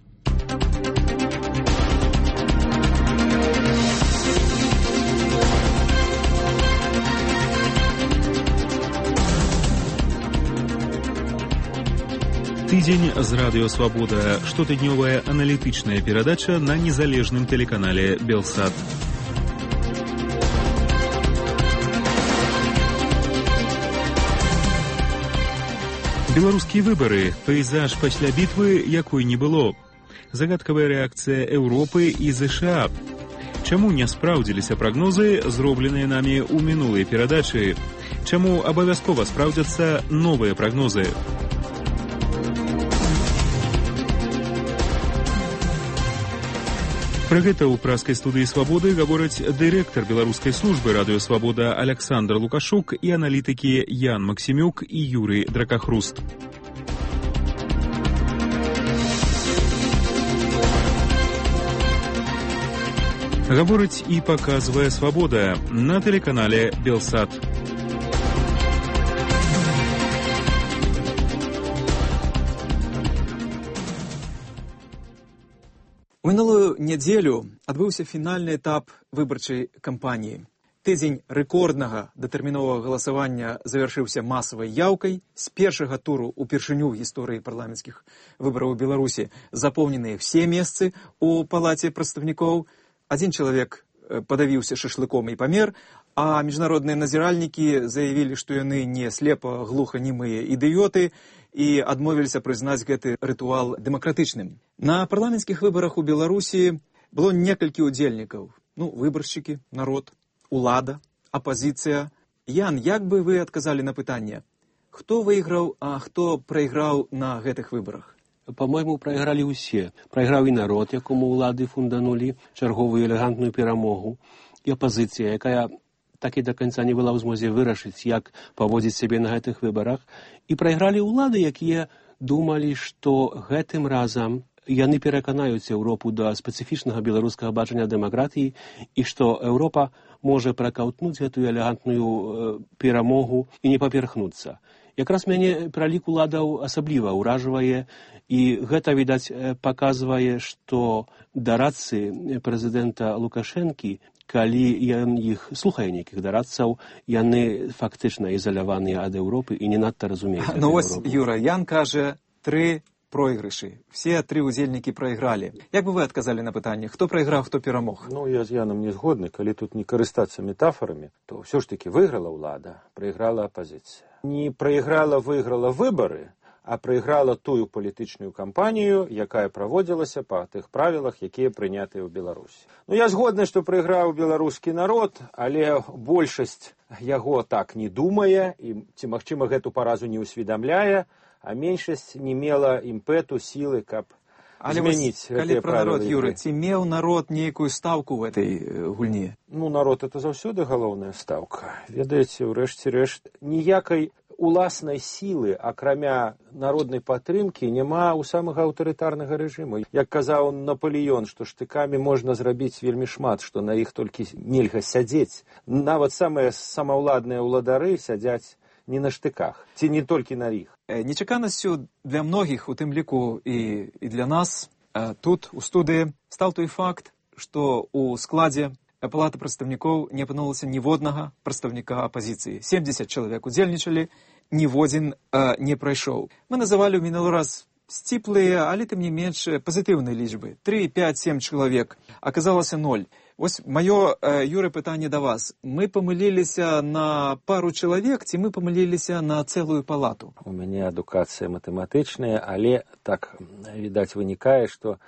Тыдзень з радыё «Свабода» – штотыднёвая аналітычная перадача на незалежным тэлеканале «Белсат». Беларускія выбары, пейзаж пасля бітвы, якой не было. Загадкавая рэакцыя Еўропы і ЗША. Чаму не спраўдзіліся прагнозы, зробленыя намі ў мінулай перадачы? Чаму абавязкова спраўдзяцца новыя прагнозы? Пра гэта ў праскай студыі «Свабоды» гавораць дырэктар беларускай службы радыё «Свабода» Александр Лукашук і аналітыкі Ян Максімюк і Юрый Дракахруст. Гаворыць і паказвае «Свабода» на тэлеканале «Белсат». У мінулую нядзелю адбыўся фінальны этап выбарчай кампаніі. Тыдзень рэкорднага датэрміновага галасавання завяршыўся масавай яўкай. З першага туру упершыню ў гісторыі парламенцкіх выбараў у Беларусі запоўненыя ўсе месцы ў палаце прадстаўнікоў. Адзін чалавек падавіўся шашлыком і памер, а міжнародныя назіральнікі заявілі, што яны не слепа-глуханімыя ідыёты і адмовіліся прызнаць гэты рытуал дэмакратычным. На парламенцкіх выбарах у Беларусі было некалькі удзельнікаў. Выбаршчыкі, народ, улада, апазіцыя. Ян, як бы вы адказалі на пытанне? Хто выйграў, а хто прайграў на гэтых выбарах? По-моему, прайгралі ўсе. Прайграў і народ, якому ўлады фунданулі чарговую элегантную перамогу, і апазіцыя, якая так і да канца не была ў змозе вырашыць, як паводзіць сябе на гэтых выбарах. І прайгралі ўлады, якія думалі, што гэтым разам яны пераканаюць Еўропу да спецыфічнага беларускага бачання дэмакратыі і што Еўропа можа пракаўтнуць гэтую элегантную перамогу і не паперхнуцца. Якраз мяне пралік уладаў асабліва ўражвае, і гэта, відаць, паказвае, што дарадцы прэзідэнта Лукашэнкі, калі ён іх слухае нейкіх дарадцаў, яны фактычна ізаляваныя ад Еўропы і не надта разумеюць. Вось, Юра, Ян кажа 3 пройгрышы. Все 3 удзельнікі прайгралі. Як бы вы адказалі на пытанне, хто прайграў, хто перамог? Я з Янам не згодны. Калі тут не карыстацца метафорамі, то ўсё ж такі выйграла ўлада, прайграла апазіцыя. Не прайграла, выйграла выбары, а прайграла тую палітычную кампанію, якая праводзілася па тых правілах, якія прынятыя ў Беларусі. Я згодны, што прайграў беларускі народ, але большасць яго так не думае, і ці, магчыма, гэту паразу не ўсведамляе, а меншасць не мела імпэту, сілы, каб змяніць гэтыя правілы. Калі пра народ, Юра, ці меў народ нейкую стаўку ў гэтай гульні? Народ — это заўсёды галоўная стаўка. Ведаеце, ўрэшце рэшт, ніякай уласнай сілы, акрамя народнай падтрымкі, няма ў самага аўтарытарнага рэжыму. Як казаў Напалеон, што штыкамі можна зрабіць вельмі шмат, што на іх толькі нельга сядзець. Нават самыя самаўладныя ўладары сядзяць не на штыках, ці не толькі на іх. Нечаканасцю для многіх, у тым ліку і для нас, тут, у студыі, стаў той факт, што ў складзе палаты прадстаўнікоў не апынулася ніводнага прадстаўніка апазіцыі. 70 чалавек удзельнічалі, ніводзін не прайшоў. Мы называлі ў мінулы раз сціплыя, але тым не менш пазітыўныя лічбы. 3, 5, 7 чалавек. Аказалася 0. Вось маё, Юры, пытанне да вас. Мы памыліліся на пару чалавек, ці мы памыліліся на цэлую палату? У мяне адукацыя матэматычная, але так, відаць, вынікае, што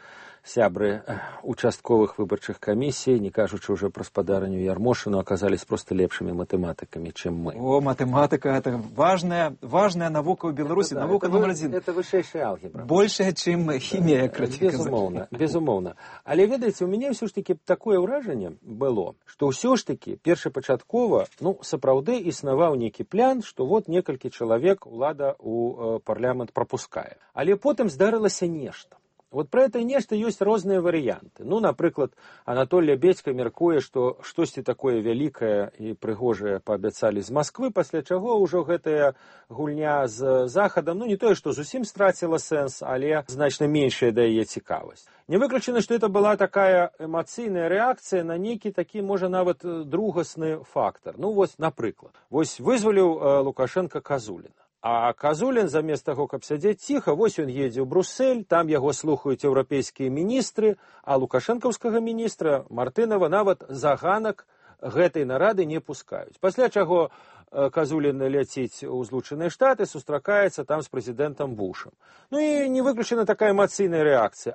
сябры участковых выбарчых камісій, не кажучы ўжо пра спадарню Ярмошыну, аказались просто лепшымі матэматыкамі, чым мы. Матэматыка — это важная навука ў Беларусі, навука номер 1. Это вышэйшая алгебра. Большая, чым хімія, краце казаць. Безумоўна. Але, ведаеце, у мяне ўсё ж такі такое ўражанне было, што ўсё ж такі першапачаткова, сапраўды існаваў нейкі план, што вот некалькі чалавек улада ў парламент прапускае. Але потым здарылася нешта. Вот про это нешта ёсць розныя варыянты. Напрыклад, Анатолий Бедька мяркуе, што штосьці такое вялікае і прыгожае паабяцалі з Масквы, пасля чаго ўжо гэтая гульня з Захадам, не тое, што зусім страціла сэнс, але значна меншая да яе цікавасць. Не выключана, што это была такая эмацыйная рэакцыя на нейкі такі, можа, нават другасны фактар. Напрыклад, вызваліў Лукашенко Казуліна. А Казулін, замест таго, каб сядзець ціха, ён едзе ў Бруссель, там яго слухаюць еўрапейскія міністры, а лукашэнкаўскага міністра Мартынова нават за ганак гэтай нарады не пускаюць. Пасля чаго Казулін ляціць у Злучаныя Штаты, сустракаецца там з прэзідэнтам Бушам. І не выключана такая эмацыйная рэакцыя.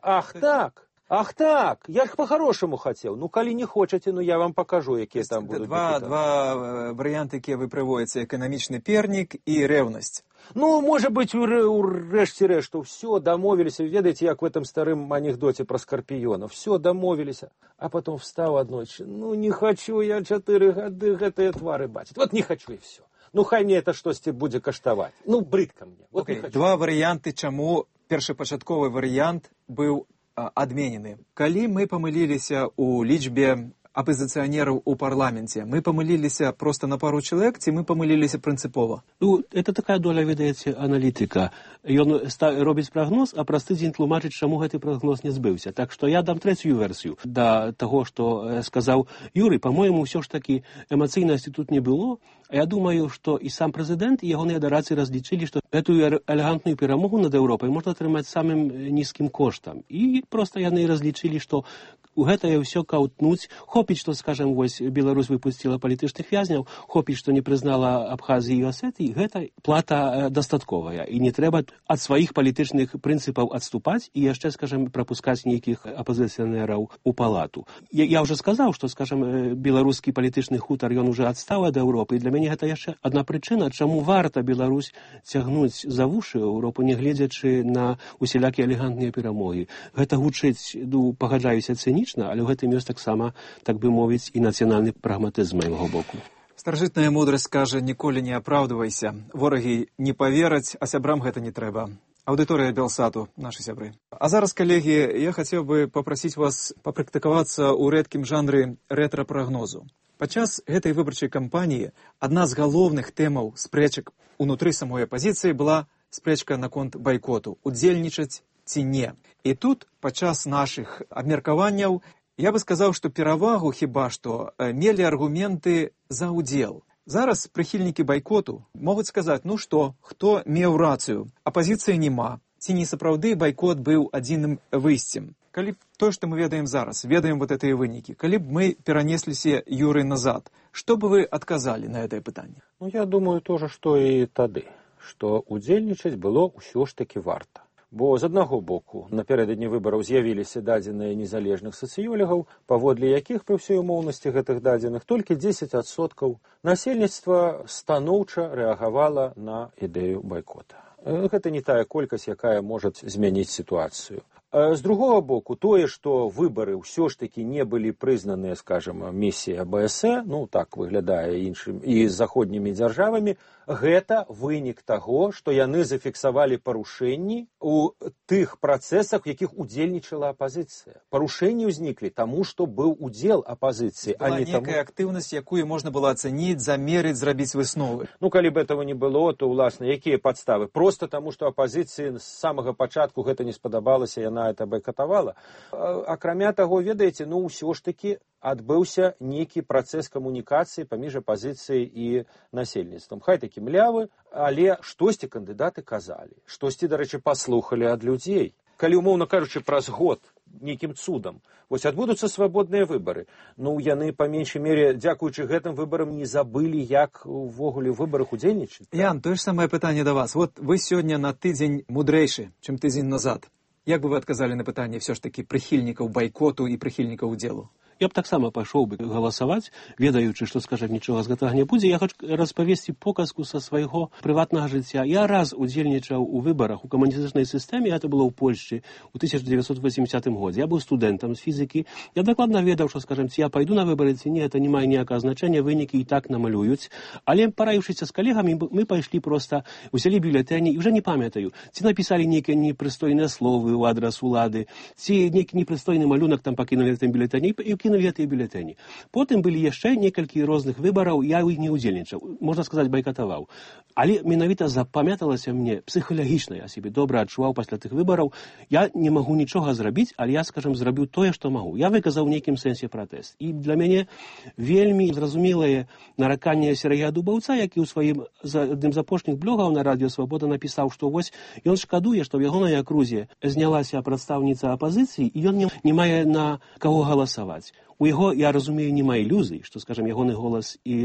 Ах так, я ж па-харошаму хацеў. Калі не хочаце, я вам пакажу, якія там будуць. Два варыянты, якія вы прыводзіце: эканамічны пернік і рэўнасць. Можа быць, урэшце рэшту, все, дамовіліся. Ведаеце, як в этом старым анекдоце пра скарпіёна. Все, дамовіліся. А потом встаў аднойчы. Не хочу я 4 гады гэтыя твары бачыць. Не хочу і все. Хай мне это штосьці будзе каштаваць. Брыдка мне. Два варыянты, чаму першапачатковы варыянт быў адменены. Калі мы памыліліся ў лічбе апозіцыянераў у парламенце? Мы памыліліся просто на пару чалавек, ці мы памыліліся прынцыпова? Ну, это такая доля, ведаеце, аналітыка. Ён робіць прагноз, а праз тыдзень тлумачыць, чаму гэты прагноз не збыўся. Так што я дам трэцюю версію да таго, што сказаў Юрый. По-моему, ўсё ж такі эмацыйнасці тут не было. Я думаю, што і сам прэзідэнт, і ягоныя дарацы разлічылі, што гэтую элегантную перамогу над Еўропай можна атрымаць самым нізкім коштам. І проста яны разлічылі, што у гэтае ўсё каўтнуць. Хопіць, што, скажем, вось Беларусь выпусціла палітычных вязняў, хопіць, што не прызнала Абхазіі і Асетыі, гэта плата дастатковая. І не трэба ад сваіх палітычных прынцыпаў адступаць і яшчэ, скажем, прапускаць нейкіх апазіцыянераў у палату. Я ўжо сказаў, што, скажем, беларускі палітычны хутар, ён уже адстаў ад Еўропы. І для мяне гэта яшчэ адна прычына, чаму варта Беларусь цягнуць за вушы Еўропу, не гледзячы на усялякія элегантныя перамогі. Гэта гучыць, пагаджаюся, цэнічна, але ў гэтым ёсць таксама, так бы мовіць, і нацыянальны прагматызм з майго боку. Старажытная мудрасць кажа, ніколі не апраўдвайся. Ворагі не павераць, а сябрам гэта не трэба. Аўдыторыя Белсату, нашы сябры. А зараз, калегі, я хацеў бы папрасіць вас папрактыкавацца ў рэдкім жанры рэтра-прагнозу. Падчас гэтай выбарчай кампаніі адна з галоўных тэмаў спрэчак унутры самой апазіцыі была спрэчка наконт байкоту, удзельнічаць ці не. І тут, падчас нашых абмеркаванняў, я бы сказаў, што перавагу хіба што мелі аргументы за ўдзел. Зараз прыхільнікі байкоту могуць сказаць, ну што, хто меў рацыю, апазіцыі няма, ці не сапраўды байкот быў адзіным выйсцем. Калі б то, што мы ведаем зараз, ведаем вот гэтыя вынікі, калі б мы перанесліся, Юрый, назад, што бы вы адказалі на гэтае пытанне? Ну, я думаю, то же, што і тады, што удзельнічаць было ўсё ж такі варта. Бо з аднаго боку, напярэдадні выбараў з'явіліся дадзеныя незалежных сацыёлегаў, паводле якіх пры ўсёй умоўнасці гэтых дадзеных толькі 10% насельніцтва станоўча рэагавала на ідэю байкота. Гэта не тая колькасць, якая можа змяніць сітуацыю. З другого боку, тое, што выбары ўсё ж такі не былі прызнаныя, скажем, місіяй АБС, ну так выглядае іншым і заходнімі дзяржавамі, гэта вынік таго, што яны зафіксавалі парушэнні ў тых працэсах, у якіх удзельнічала апазіцыя. Парушэнні ўзніклі таму, што быў удзел апазіцыі, а не таму... Некая актыўнасць, якую можна было ацаніць, замерыць, зрабіць высновы. Ну, калі б этого не было, то, уласна, якія падставы? Просто таму, што апазіцыі з самага пачатку гэта не спадабалася, яна это байкатавала. Акрамя таго, ведаеце, ну, ўсё ж такі адбыўся нейкі працэс камунікацыі паміж апазіцыяй і насельніцтвам. Хай такі млявы, але штосьці кандыдаты казалі, штосьці, дарэчы, паслухалі ад людзей. Калі, умоўна кажучы, праз год нейкім цудам вось адбудуцца свабодныя выбары, ну, яны, па меншай мере, дзякуючы гэтым выбарам не забылі, як увогуле ў выбарах удзельнічаць. Ян, тое ж самае пытанне да вас. Вот вы сёння на тыдзень мудрэйшы, чым тыдзень назад. Як бы вы адказалі на пытанне ўсё ж такі прыхільнікаў байкоту і прыхільнікаў удзелу? Я б таксама пайшоў бы галасаваць, ведаючы, што, скажем, нічога з гэтага не будзе. Я хочу распавесці показку са свайго прыватнага жыцця. Я раз удзельнічаў у выбарах у камуністычнай сістэме, это было ў Польшчы ў 1980 годзе. Я быў студэнтам з фізікі. Я дакладна ведаў, што, скажем, ці я пайду на выбары, ці не, это не мае ніякага значэння, вынікі і так намалююць. Але параіўшыся з калегамі, мы пайшлі проста, узялі бюлетэні, і ўжо не памятаю, ці напісалі нейкія непрыстойныя словы ў адрас улады, ці нейкі непрыстойны малюнак там пакінулі гэтым бюлетэні, і кінулі гэтыя бюлетэні. Потым былі яшчэ некалькі розных выбараў, я ў іх не ўдзельнічаў, можна сказаць, байкатаваў. Але менавіта запамяталася мне псіхалагічна, я сябе добра адчуваў пасля тых выбараў. Я не магу нічога зрабіць, але я, скажем, зрабіў тое, што магу. Я выказаў у нейкім сэнсе пратэст. І для мяне вельмі зразумелае нараканне Сергея Дубаўца, які ў сваім адным з апошніх блогаў на Радіо Свабода напісаў, што вось ён шкадуе, што ў ягонай акрузе знялася прадстаўніца апазіцыі, і ён не мае на каго галасаваць. У яго, я разумею, няма ілюзій, што, скажем, ягоны голас і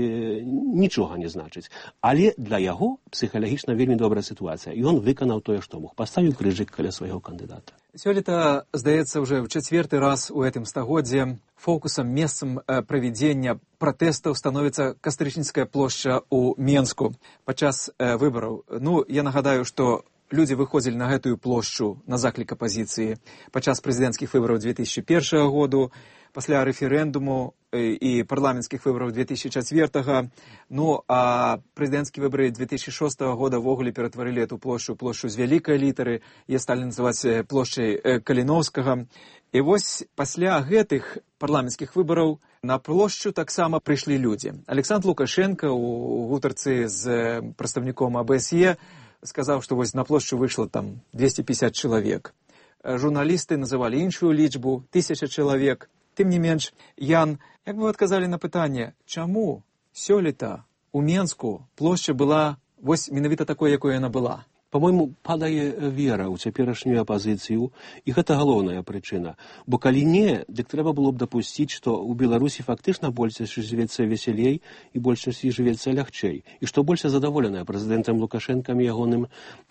нічога не значыць. Але для яго псіхалагічна вельмі добрая сітуацыя. І ён выканаў тое, што мог. Паставіў крыжык каля свайго кандыдата. Сёлета, здаецца, уже ў чацвёрты раз у гэтым стагоддзе фокусам, месцам правядзення пратэстаў становіцца Кастрычніцкая плошча ў Менску падчас выбараў. Ну, я нагадаю, што людзі выходзілі на гэтую плошчу на заклік апазіцыі падчас прэзідэнцкіх выбараў 2001 году, пасля рэферэндуму і парламенцкіх выбараў 2004, ну, а прэзідэнцкія выбары 2006 года ввогуле ператварылі эту плошчу з вялікай літары, яе сталі называць плошчай Каліноўскага. І вось пасля гэтых парламенцкіх выбараў На плошчу таксама прыйшлі людзі. Александр Лукашенко у гутарцы з прадстаўніком АБСЕ сказаў, што вось на плошчу выйшла там 250 чалавек. Журналісты называлі іншую лічбу, 1000 чалавек. Тым не менш, Ян, як вы адказалі на пытанне, чаму сёлета у Менску плошча была вось менавіта такой, якой яна была? По-мойму, падае вера ў цяперашнюю апазіцыю, і гэта галоўная прычына. Бо калі не, дык трэба было б дапусціць, што ў Беларусі фактычна большасці жывецца весялей і большасці жывецца лягчэй, і што больш задаволеная прэзідэнтам Лукашэнкам і ягоным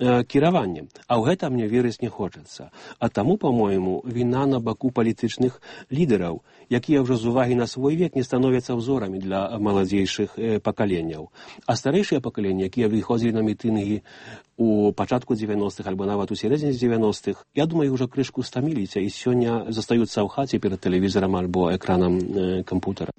кіраваннем. А ў гэта мне верыць не хочацца. А таму, па-мойму, віна на баку палітычных лідараў, якія ўжо з увагі на свой век не становяцца ўзорамі для маладзейшых пакаленняў. А старэйшыя пакаленні, якія выходзілі на мітынгі у пачатку 90-х альбо нават у сярэдзіне 90-х, я думаю, ўжо крышку стаміліся і сёння застаюцца ў хаце перад тэлевізарам альбо экранам кампутара.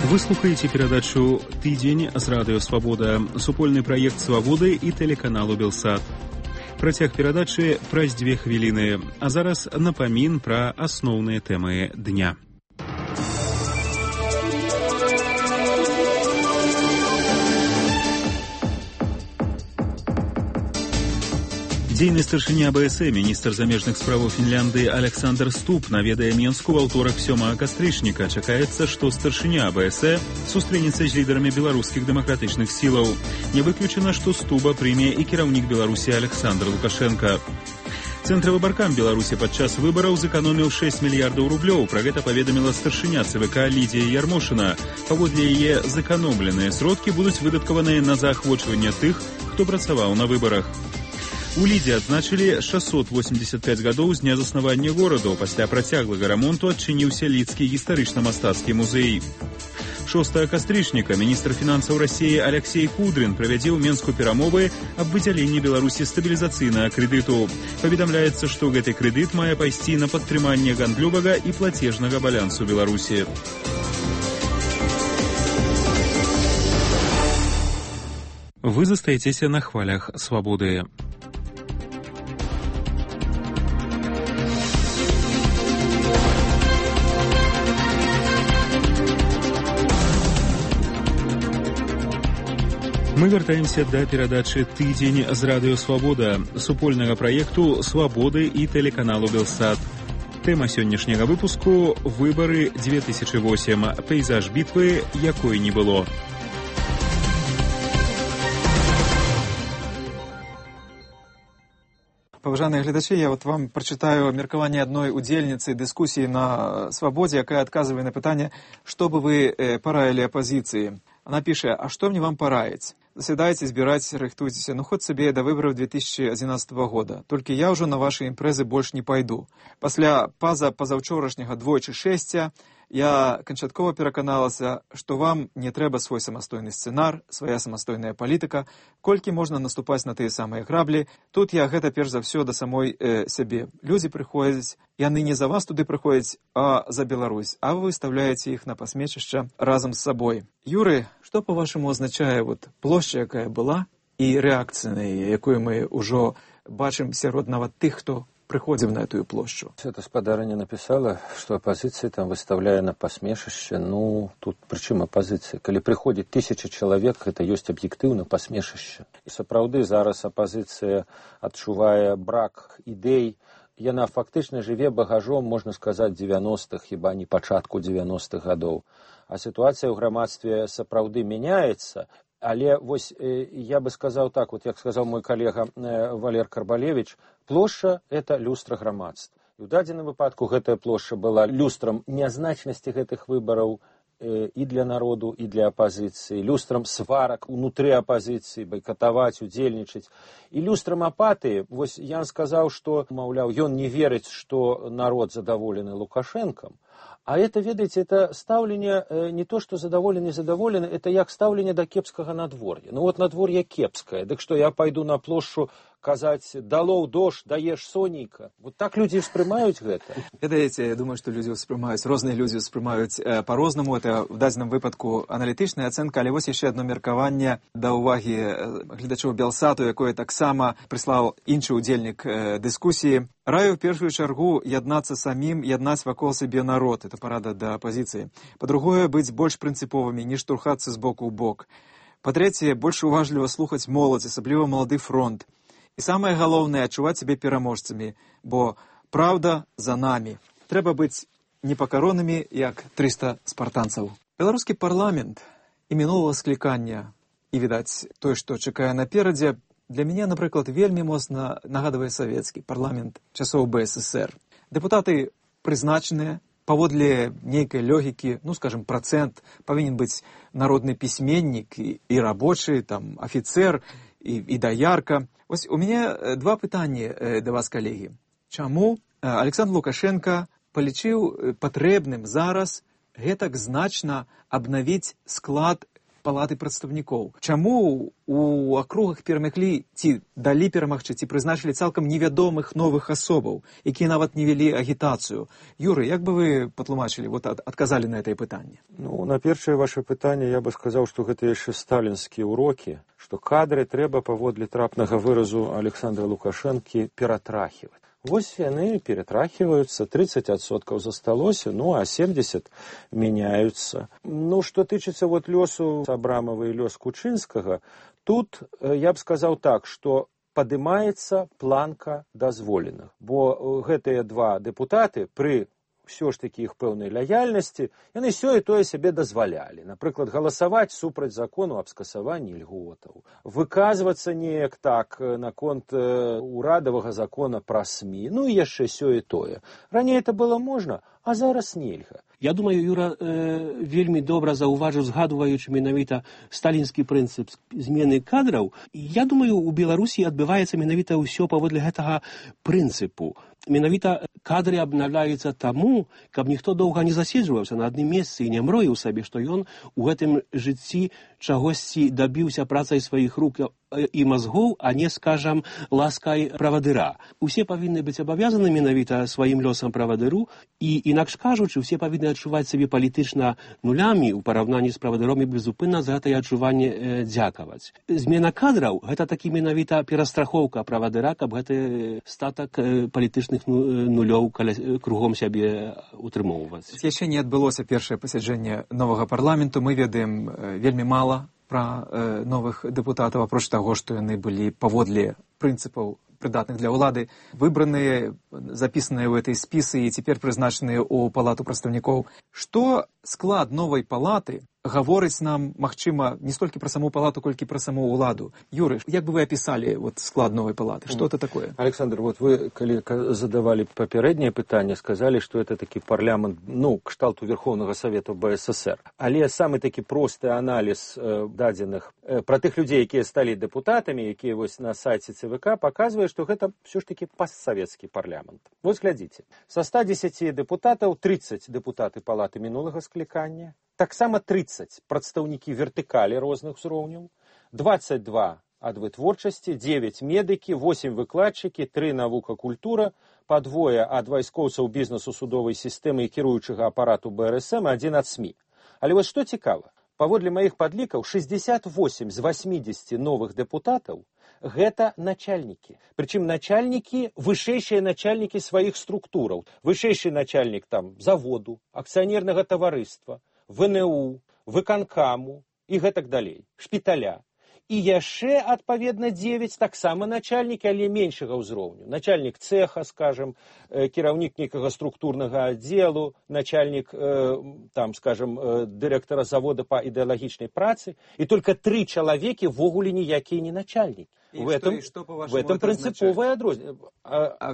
Вы слухаеце перадачу «Тыдзень» з радыё «Свабода», супольны праект «Свабоды» і тэлеканалу «Белсат». Працяг перадачы праз 2 хвіліны, а зараз напамін пра асноўныя тэмы дня. Дзейны старшыня АБСЕ, міністр замежных справаў Фінляндыі Александр Ступ наведае Менску ва ўторак 7 кастрычніка. Чакаецца, што старшыня АБСЕ сустрэнецца з лідарамі беларускіх дэмакратычных сілаў. Не выключана, што Стуба прыме і кіраўнік Беларусі Александр Лукашенко. Цэнтравы баркам Беларусі падчас выбараў зэканоміў 6 мільярдаў рублёў. Пра гэта паведаміла старшыня ЦВК Лідія Ярмошына. Паводле яе, зэканомленыя сродкі будуць выдаткаваныя на заахвочванне тых, хто працаваў на выбарах. У Лідзе адзначылі 685 гадоў з дня заснавання гораду. Пасля працяглага рамонту адчыніўся Лідскі гістарычна-мастацкі музей. 6 кастрычніка міністр фінансаў Расіі Алексей Кудрин правядзе ў Менску перамовы аб выдзяленні Беларусі стабілізацыйнага крэдыту. Паведамляецца, што гэты крэдыт мае пайсці на падтрыманне гандлёвага і плацежнага балансу Беларусі. Вы застаецеся на хвалях «Свабоды». Мы вяртаемся да перадачы «Тыдзень» з радыё «Свабода», супольнага праекту «Свабоды» і тэлеканалу «Белсат». Тэма сённяшняга выпуску – «Выбары 2008. Пейзаж бітвы, якой не было». Паважаныя гледачы, я вам прачытаю меркаванне адной удзельніцы дыскусіі на «Свабодзе», якая адказвае на пытанне, што бы вы параілі апазіцыі. Она піша, а што мне вам параіць? Заседайте, збірайце, рыхтуйцеся, хоть сабе да выбараў 2011 года. Толькі я ўжо на ваши імпрэзы больш не пайду. Пасля пазаўчорашняга двойчы шэсця я канчаткова пераканалася, што вам не трэба свой самастойны сцэнар, свая самастойная палітыка, колькі можна наступаць на тыя самыя граблі. Тут я гэта перш за ўсё да самой сябе. Людзі прыходзяць, яны не за вас туды прыходзяць, а за Беларусь, а вы выставляеце іх на пасмечышча разам з сабой. Юры, што по-вашаму азначае плошча, якая была, і рэакцыя на яе, якую мы ўжо бачым сярод нават тых, хто прыходзіў на эту плошчу? Эта спадарыня написала, что оппозиция там выставляе на посмешище. Тут причем оппозиция? Калі приходит 1000 человек, это есть объективно посмешище. И сапраўды зараз оппозиция, адчувае брак идей, яна фактычна жыве багажом, можна сказаць, 90-х, хіба не пачатку 90-х гадоў. А ситуация ў грамадстве сапраўды мяняецца. Але вось я бы сказаў так, як сказаў мой калега Валер Карбалевич, плошча – это люстра грамадства. І ў дадзеным выпадку гэтая плошча была люстрам нязначнасці гэтых выбараў і для народу, і для апазіцыі, люстрам сварак унутры апазіцыі, байкатаваць, удзельнічаць. І люстрам апатыі, вось Ян сказаў, што, маўляў, ён не верыць, што народ задаволены Лукашэнкам, А это, ведаеце, это стаўленне не то, што задаволены, незадаволены, это як стаўленне да кепскага надвор'я. Ну вот надвор'е кепскае, дык што я пайду на плошчу казаць «далоў дождь, даеш сонейка». Вот так людзі ўспрымаюць гэта. Ведаеце, я думаю, што людзі ўспрымаюць, розныя людзі ўспрымаюць па-рознаму. Это в дадзеным выпадку аналітычная ацэнка, але вось яшчэ адно меркаванне да ўвагі гледачоў Белсату, якое таксама прыслаў іншы ўдзельнік дыскусіі. Раю в першую чаргу яднацца самім, яднаць вакол сябе народ. Это парада да апазіцыі. Па-другое, быць больш прынцыповымі, не штурхацца з боку ў бок. Па-трэцяе, больш уважліва слухаць моладзь, асабліва малады фронт. І самае галоўнае, адчуваць сябе пераможцамі, бо праўда за намі. Трэба быць непакаронымі, як 300 спартанцаў. Беларускі парламент і мінулага склікання, і, відаць, тое, што чакае наперадзе, для мяне, напрыклад, вельмі моцна нагадвае савецкі парламент часоў БССР. Дэпутаты прызначаныя, паводле нейкай логікі, ну, скажем, процент, павінен быць народны пісьменнік і рабочы, там, афіцэр і даярка. Ось у мяне два пытанні да вас, калегі. Чаму Александр Лукашенко палічыў патрэбным зараз гэтак значна абнавіць склад палаты прадстаўнікоў? Чаму у акругах перамаглі ці далі перамагчы, ці прызначылі цалкам невядомых новых асобаў, якія нават не вялі агітацыю? Юрый, як бы вы патлумачылі, вот адказалі на гэтае пытанне? Ну, на першае ваше пытанне я бы сказаў, што гэта яшчэ сталінскія ўрокі, што кадры трэба паводле трапнага выразу Александра Лукашэнкі ператрахіваць. Вось яны ператрахіваюцца, 30% засталося, ну а 70% мяняюцца. Ну, што тычыцца вот лёсу Абрамова і лёс Кучынскага, тут я б сказаў так, што падымаецца планка дазволеных, бо гэтыя два дэпутаты пры ўсё ж такі іх пэўнай лаяльнасці, яны сёе тое сябе дазвалялі. Напрыклад, галасаваць супраць закону аб скасаванні льготаў, выказвацца неяк так наконт урадавага закона пра СМІ, ну і яшчэ сёе тое. Раней это было можна, а зараз нельга. Я думаю, Юра вельмі добра заўважыў, згадваючы менавіта сталінскі прынцып змены кадраў. Я думаю, у Беларусі адбываецца менавіта ўсё паводле гэтага прынцыпу. Менавіта кадры абнаўляюцца таму, каб ніхто доўга не заседжваўся на адным месцы і не мроіў сабе, што ён у гэтым жыцці чагосьці дабіўся працай сваіх рук і мазгоў, а не, скажам, ласкай правадыра. Усе павінны быць абавязаны менавіта сваім лёсам правадыру, і, інакш кажучы, усе павінны адчуваць сабе палітычна нулямі ў параўнанні з правадыром і безупынна за гэтае адчуванне дзякаваць. Змена кадраў – гэта такі менавіта перастрахоўка правадыра, каб гэты статак палітычных нулёў кругом сябе утрымоўваць. Яшчэ не адбылося першае пасяджэнне новага парламенту. Мы ведаем вельмі мала пра новых дэпутатаў, апроч таго, што яны былі паводле прынцыпаў прыдатных для ўлады, выбраныя, запісаныя ў этой спісы і цяпер прызначаныя ў палату прадстаўнікоў. Што склад новай палаты гаворыць нам, магчыма, не столькі пра саму палату, колькі пра саму ўладу? Юрый, як бы вы апісалі вот склад новай палаты? Што это такое? Александр, вот вы, калі задавалі папярэдняе пытанне, сказалі, што это такі парламент, ну, кшталту Верховнага Савета БССР. Але самы такі просты аналіз дадзеных пра тых людзей, якія сталі дэпутатамі, якія вось на сайце ЦВК, паказвае, што гэта ўсё ж такі постсавецкі парламент. Вось глядзіце, са 110 дэпутатаў 30 дэпутаты палаты мінулага склікання, таксама 30 прадстаўнікі вертыкалі розных узроўняў, 22 ад вытворчасці, 9 медыкі, 8 выкладчыкі, 3 навука культура, па двое ад вайскоўцаў бізнесу судовай сістэмы і кіруючага апарату БРСМ, 1 ад СМІ. Але вось што цікава, паводле маіх падлікаў, 68 з 80 новых дэпутатаў гэта начальнікі. Прычым начальнікі, вышэйшыя начальнікі сваіх структураў. Вышэйшы начальнік там заводу, акцыянернага таварыства, ВНУ, выканкаму і гэтак далей, шпіталя. І яшчэ, адпаведна, 9 таксама начальнікі, але меншага ўзроўню. Начальнік цеха, скажем, кіраўнік некага структурнага аддзелу, начальнік, там, скажем, дырэктара завода па ідэалагічнай працы, і только 3 чалавекі ввогуле ніякія не начальнікі. В этом принциповое адрозненне.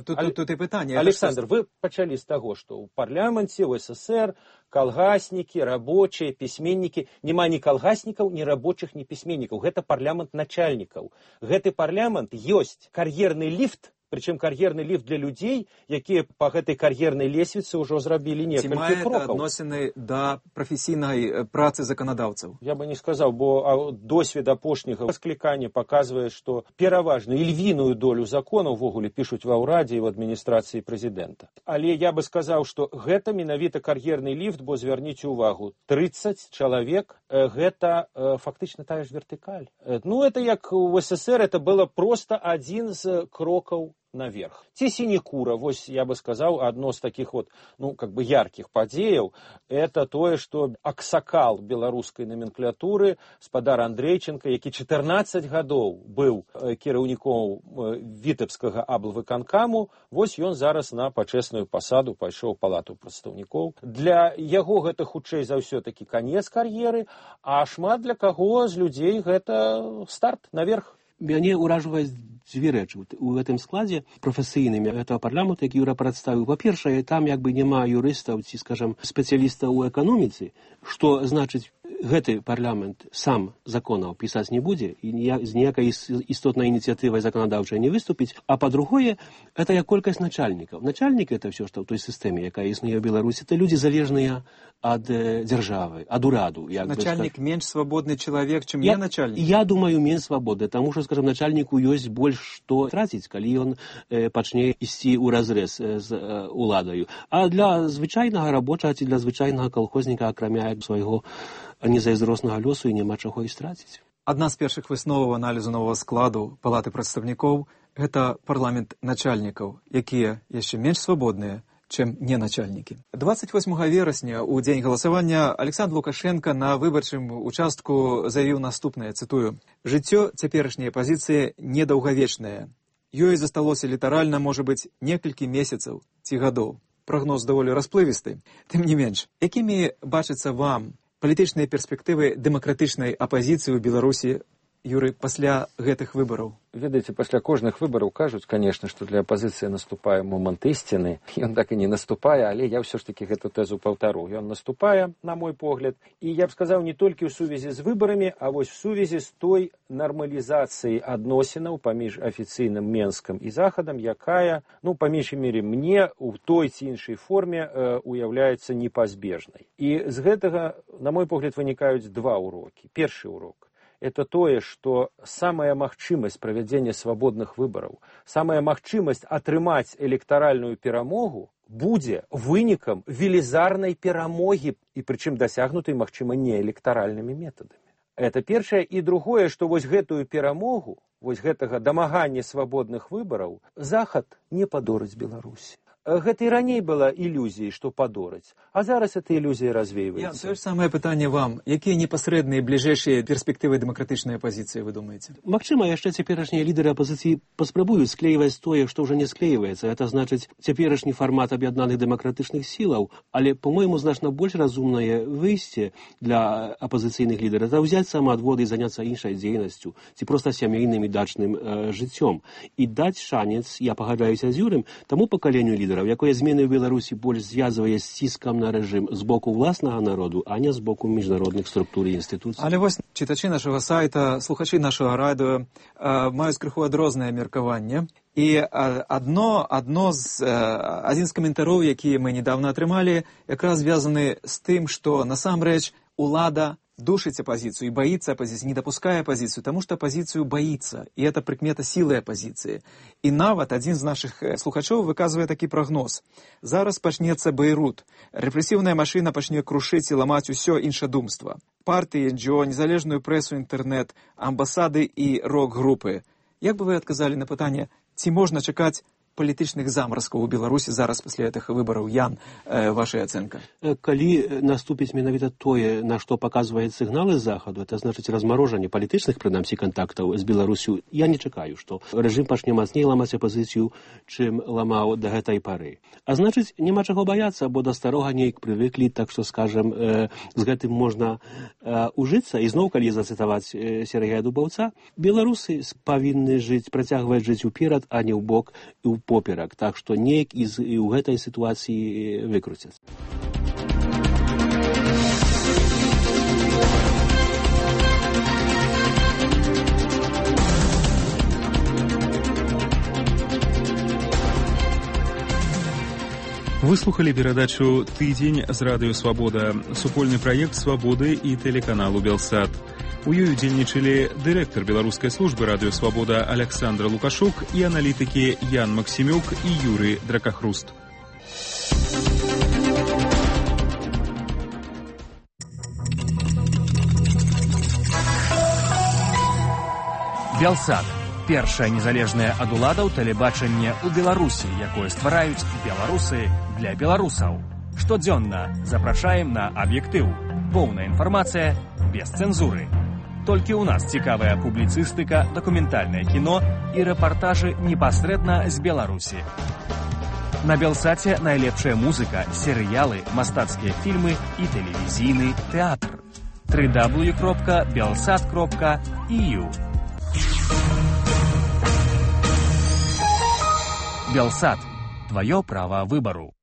Тут и пытанне. Александр, вы пачалі з таго, што ў парламенце, ў СССР калгаснікі, рабочыя, пісьменнікі, няма ні калгаснікаў, ні рабочых, ні пісьменнікаў. Гэта парламент начальнікаў. Гэты парламент ёсць кар'ерны ліфт Причем кар'ерны ліфт для людзей, якія па гэтай кар'ернай лесвіцы ўжо зрабілі некалькі крокаў. Ці мае адносіны да прафесійнай працы заканадаўцаў? Я бы не сказаў, бо досвед апошняга склікання паказвае, што пераважную і львіную долю законаў увогуле пішуць ва ўрадзе і ў адміністрацыі прэзідэнта. Але я бы сказаў, што гэта менавіта кар'ерны ліфт, бо звярніце ўвагу, 30 чалавек, гэта фактычна тая ж вертыкаль. Ну, это як у СССР, это было просто адзін з крокаў наверх. Ці сінекура, вось я бы сказаў, адно з такіх вот, ну, как бы яркіх падзеяў, это тое, што аксакал беларускай номенклатуры, спадар Андрейченко, які 14 гадоў быў кіраўніком вітэбскага аблвыканкаму, вось ён зараз на пачэсную пасаду пайшоў у палату прадстаўнікоў. Для яго гэта хутчэй за ўсё такі канец кар'еры, а шмат для каго з людзей гэта старт наверх. Мяне ўражваюць дзве рэчы у гэтым складзе прафесійным гэтага парламенту, які Юра прадставіў. Па-першае, там як бы няма юрыстаў ці, скажам, спецыялістаў у эканоміцы, што значыць гэты парламент сам законаў пісаць не будзе і з ніякай істотнай ініцыятывай заканадаўчай не выступіць. А па-другое, это як колькасць начальнікаў. Начальнік это ўсё, што ў той сістэме, якая існуе ў Беларусі, это людзі залежныя ад дзяржавы, ад ураду. Начальнік менш свабодны чалавек, чым не начальнік? Я думаю, менш свабодны, таму што, скажам, начальніку ёсць больш што траціць, калі ён пачне ісці ў разрэз з уладаю. А для звычайнага рабочага ці для звычайнага калхозніка, акрамя свайго незайздроснага лёсу, і няма чаго і страціць. Адна з першых высноваў аналізу новага складу палаты прадстаўнікоў – гэта парламент начальнікаў, якія яшчэ менш свабодныя, чым не начальнікі. 28 верасня, у дзень галасавання, Александр Лукашенко на выбарчым участку заявіў наступнае, цытую: «Жыццё цяперашняй апазіцыі недаўгавечнае. Ёй засталося літаральна, можа быць, некалькі месяцаў ці гадоў». Прагноз даволі расплывісты. Тым не менш, якімі бачацца вам палітычныя перспектывы дэмакратычнай апазіцыі ў Беларусі, Юры, пасля гэтых выбараў? Ведаеце, пасля кожных выбараў кажуць, конечно, што для апазіцыі наступае момант ісціны. Ён так і не наступае, але я ўсё ж такі гэту тэзу паўтару. Ён наступае, на мой погляд, і я б сказаў, не толькі ў сувязі з выбарамі, а вось в сувязі з той нармалізацыяй адносінаў паміж афіцыйным Менскам і Захадам, якая, ну, па меншай мере, мне ў той ці іншай форме уяўляецца непазбежнай. І з гэтага, на мой погляд, вынікаюць два урокі. Першы урок – это тое, што самая магчымасць правядзення свабодных выбараў, самая магчымасць атрымаць электаральную перамогу будзе вынікам велізарнай перамогі, і прычым дасягнутай, магчыма, не электаральнымі метадамі. Это першае. І другое, што вось гэтую перамогу, вось гэтага дамагання свабодных выбараў Захад не падорыць Беларусі. Гэта і раней была ілюзіяй, што падораць, а зараз эта ілюзія развейваецца. Тое ж самае пытанне вам. Якія непасрэдныя бліжэйшыя перспектывы дэмакратычнай апазіцыі, вы думаеце? Магчыма, яшчэ цяперашнія лідары апазіцыі паспрабуюць склейваць тое, што ўжо не склейваецца. Это значыць цяперашні фармат аб'яднаных дэмакратычных сілаў, але, по-мойму, значна больш разумнае выйсце для апазіцыйных лідараў это ўзяць самаадводы і заняцца іншай дзейнасцю, ці проста сямейным і дачным жыццём. І даць шанец, я пагаджаюся з Юрым, таму пакаленню лідараў, якое змены ў Беларусі больш звязвае з ціскам на рэжым з боку ўласнага народу, а не з боку міжнародных структур і інстытуцый. Але вось чытачы нашага сайта, слухачы нашага радыё маюць крыху адрознае меркаванне. І адзін з каментароў, які мы недавно атрымалі, якраз звязаны з тым, што насамрэч улада душить оппозицию и боится оппозиции, не допуская оппозицию, потому что оппозицию боится. И это прикмета силы оппозиции. И нават один из наших слухачоў выказывае такі прогноз. Зараз пачнецца Бейрут. Рэпрэсіўная машина пачне крушыць і ламаць усё іншадумства. Партыі, НГО, незалежную прэсу, інтэрнэт, амбасады і рок-групы. Як бы вы адказалі на пытанне, ці можна чакаць палітычных замразкаў у Беларусі зараз пасля гэтых выбараў? Ян, ваша ацэнка. Калі наступіць менавіта тое, на што паказваюць сігналы з захаду, это значыць размарожанне палітычных, прынамсі, кантактаў з Беларусю, я не чакаю, што рэжым пачне мацней ламаць апазіцыю, чым ламаў да гэтай пары. А значыць, няма чаго баяцца, бо да старога нейк прывыклі, так што, скажам, з гэтым можна ужыцца. І зноў, калі зацытаваць Сергея Дубаўца, беларусы павінны працягваць жыць уперад, а не ў бок і ў поперак, так што неяк і ў гэтай сітуацыі выкруцяцца. Выслухали перадачу «Тыдзень» з радыё «Свабода», супольны праект «Свабоды» і тэлеканалу «Белсат». У ёй удзельнічалі дырэктар беларускай службы радыё «Свабода» Александр Лукашук і аналітыкі Ян Максімюк і Юрый Дракахруст. Белсат. Першае незалежнае ад уладаў тэлебачанне ў Беларусі, якое ствараюць беларусы для беларусаў. Штодзённа запрашаем на аб'ектыў. Поўная інфармацыя без цэнзуры. Толькі ў нас цікавая публіцыстыка, дакументальнае кіно і рэпартажы непасрэдна з Беларусі. На Белсаце найлепшая музыка, серыялы, мастацкія фільмы і тэлевізійны тэатр. www.belsat.eu Белсат. Твое право выбору.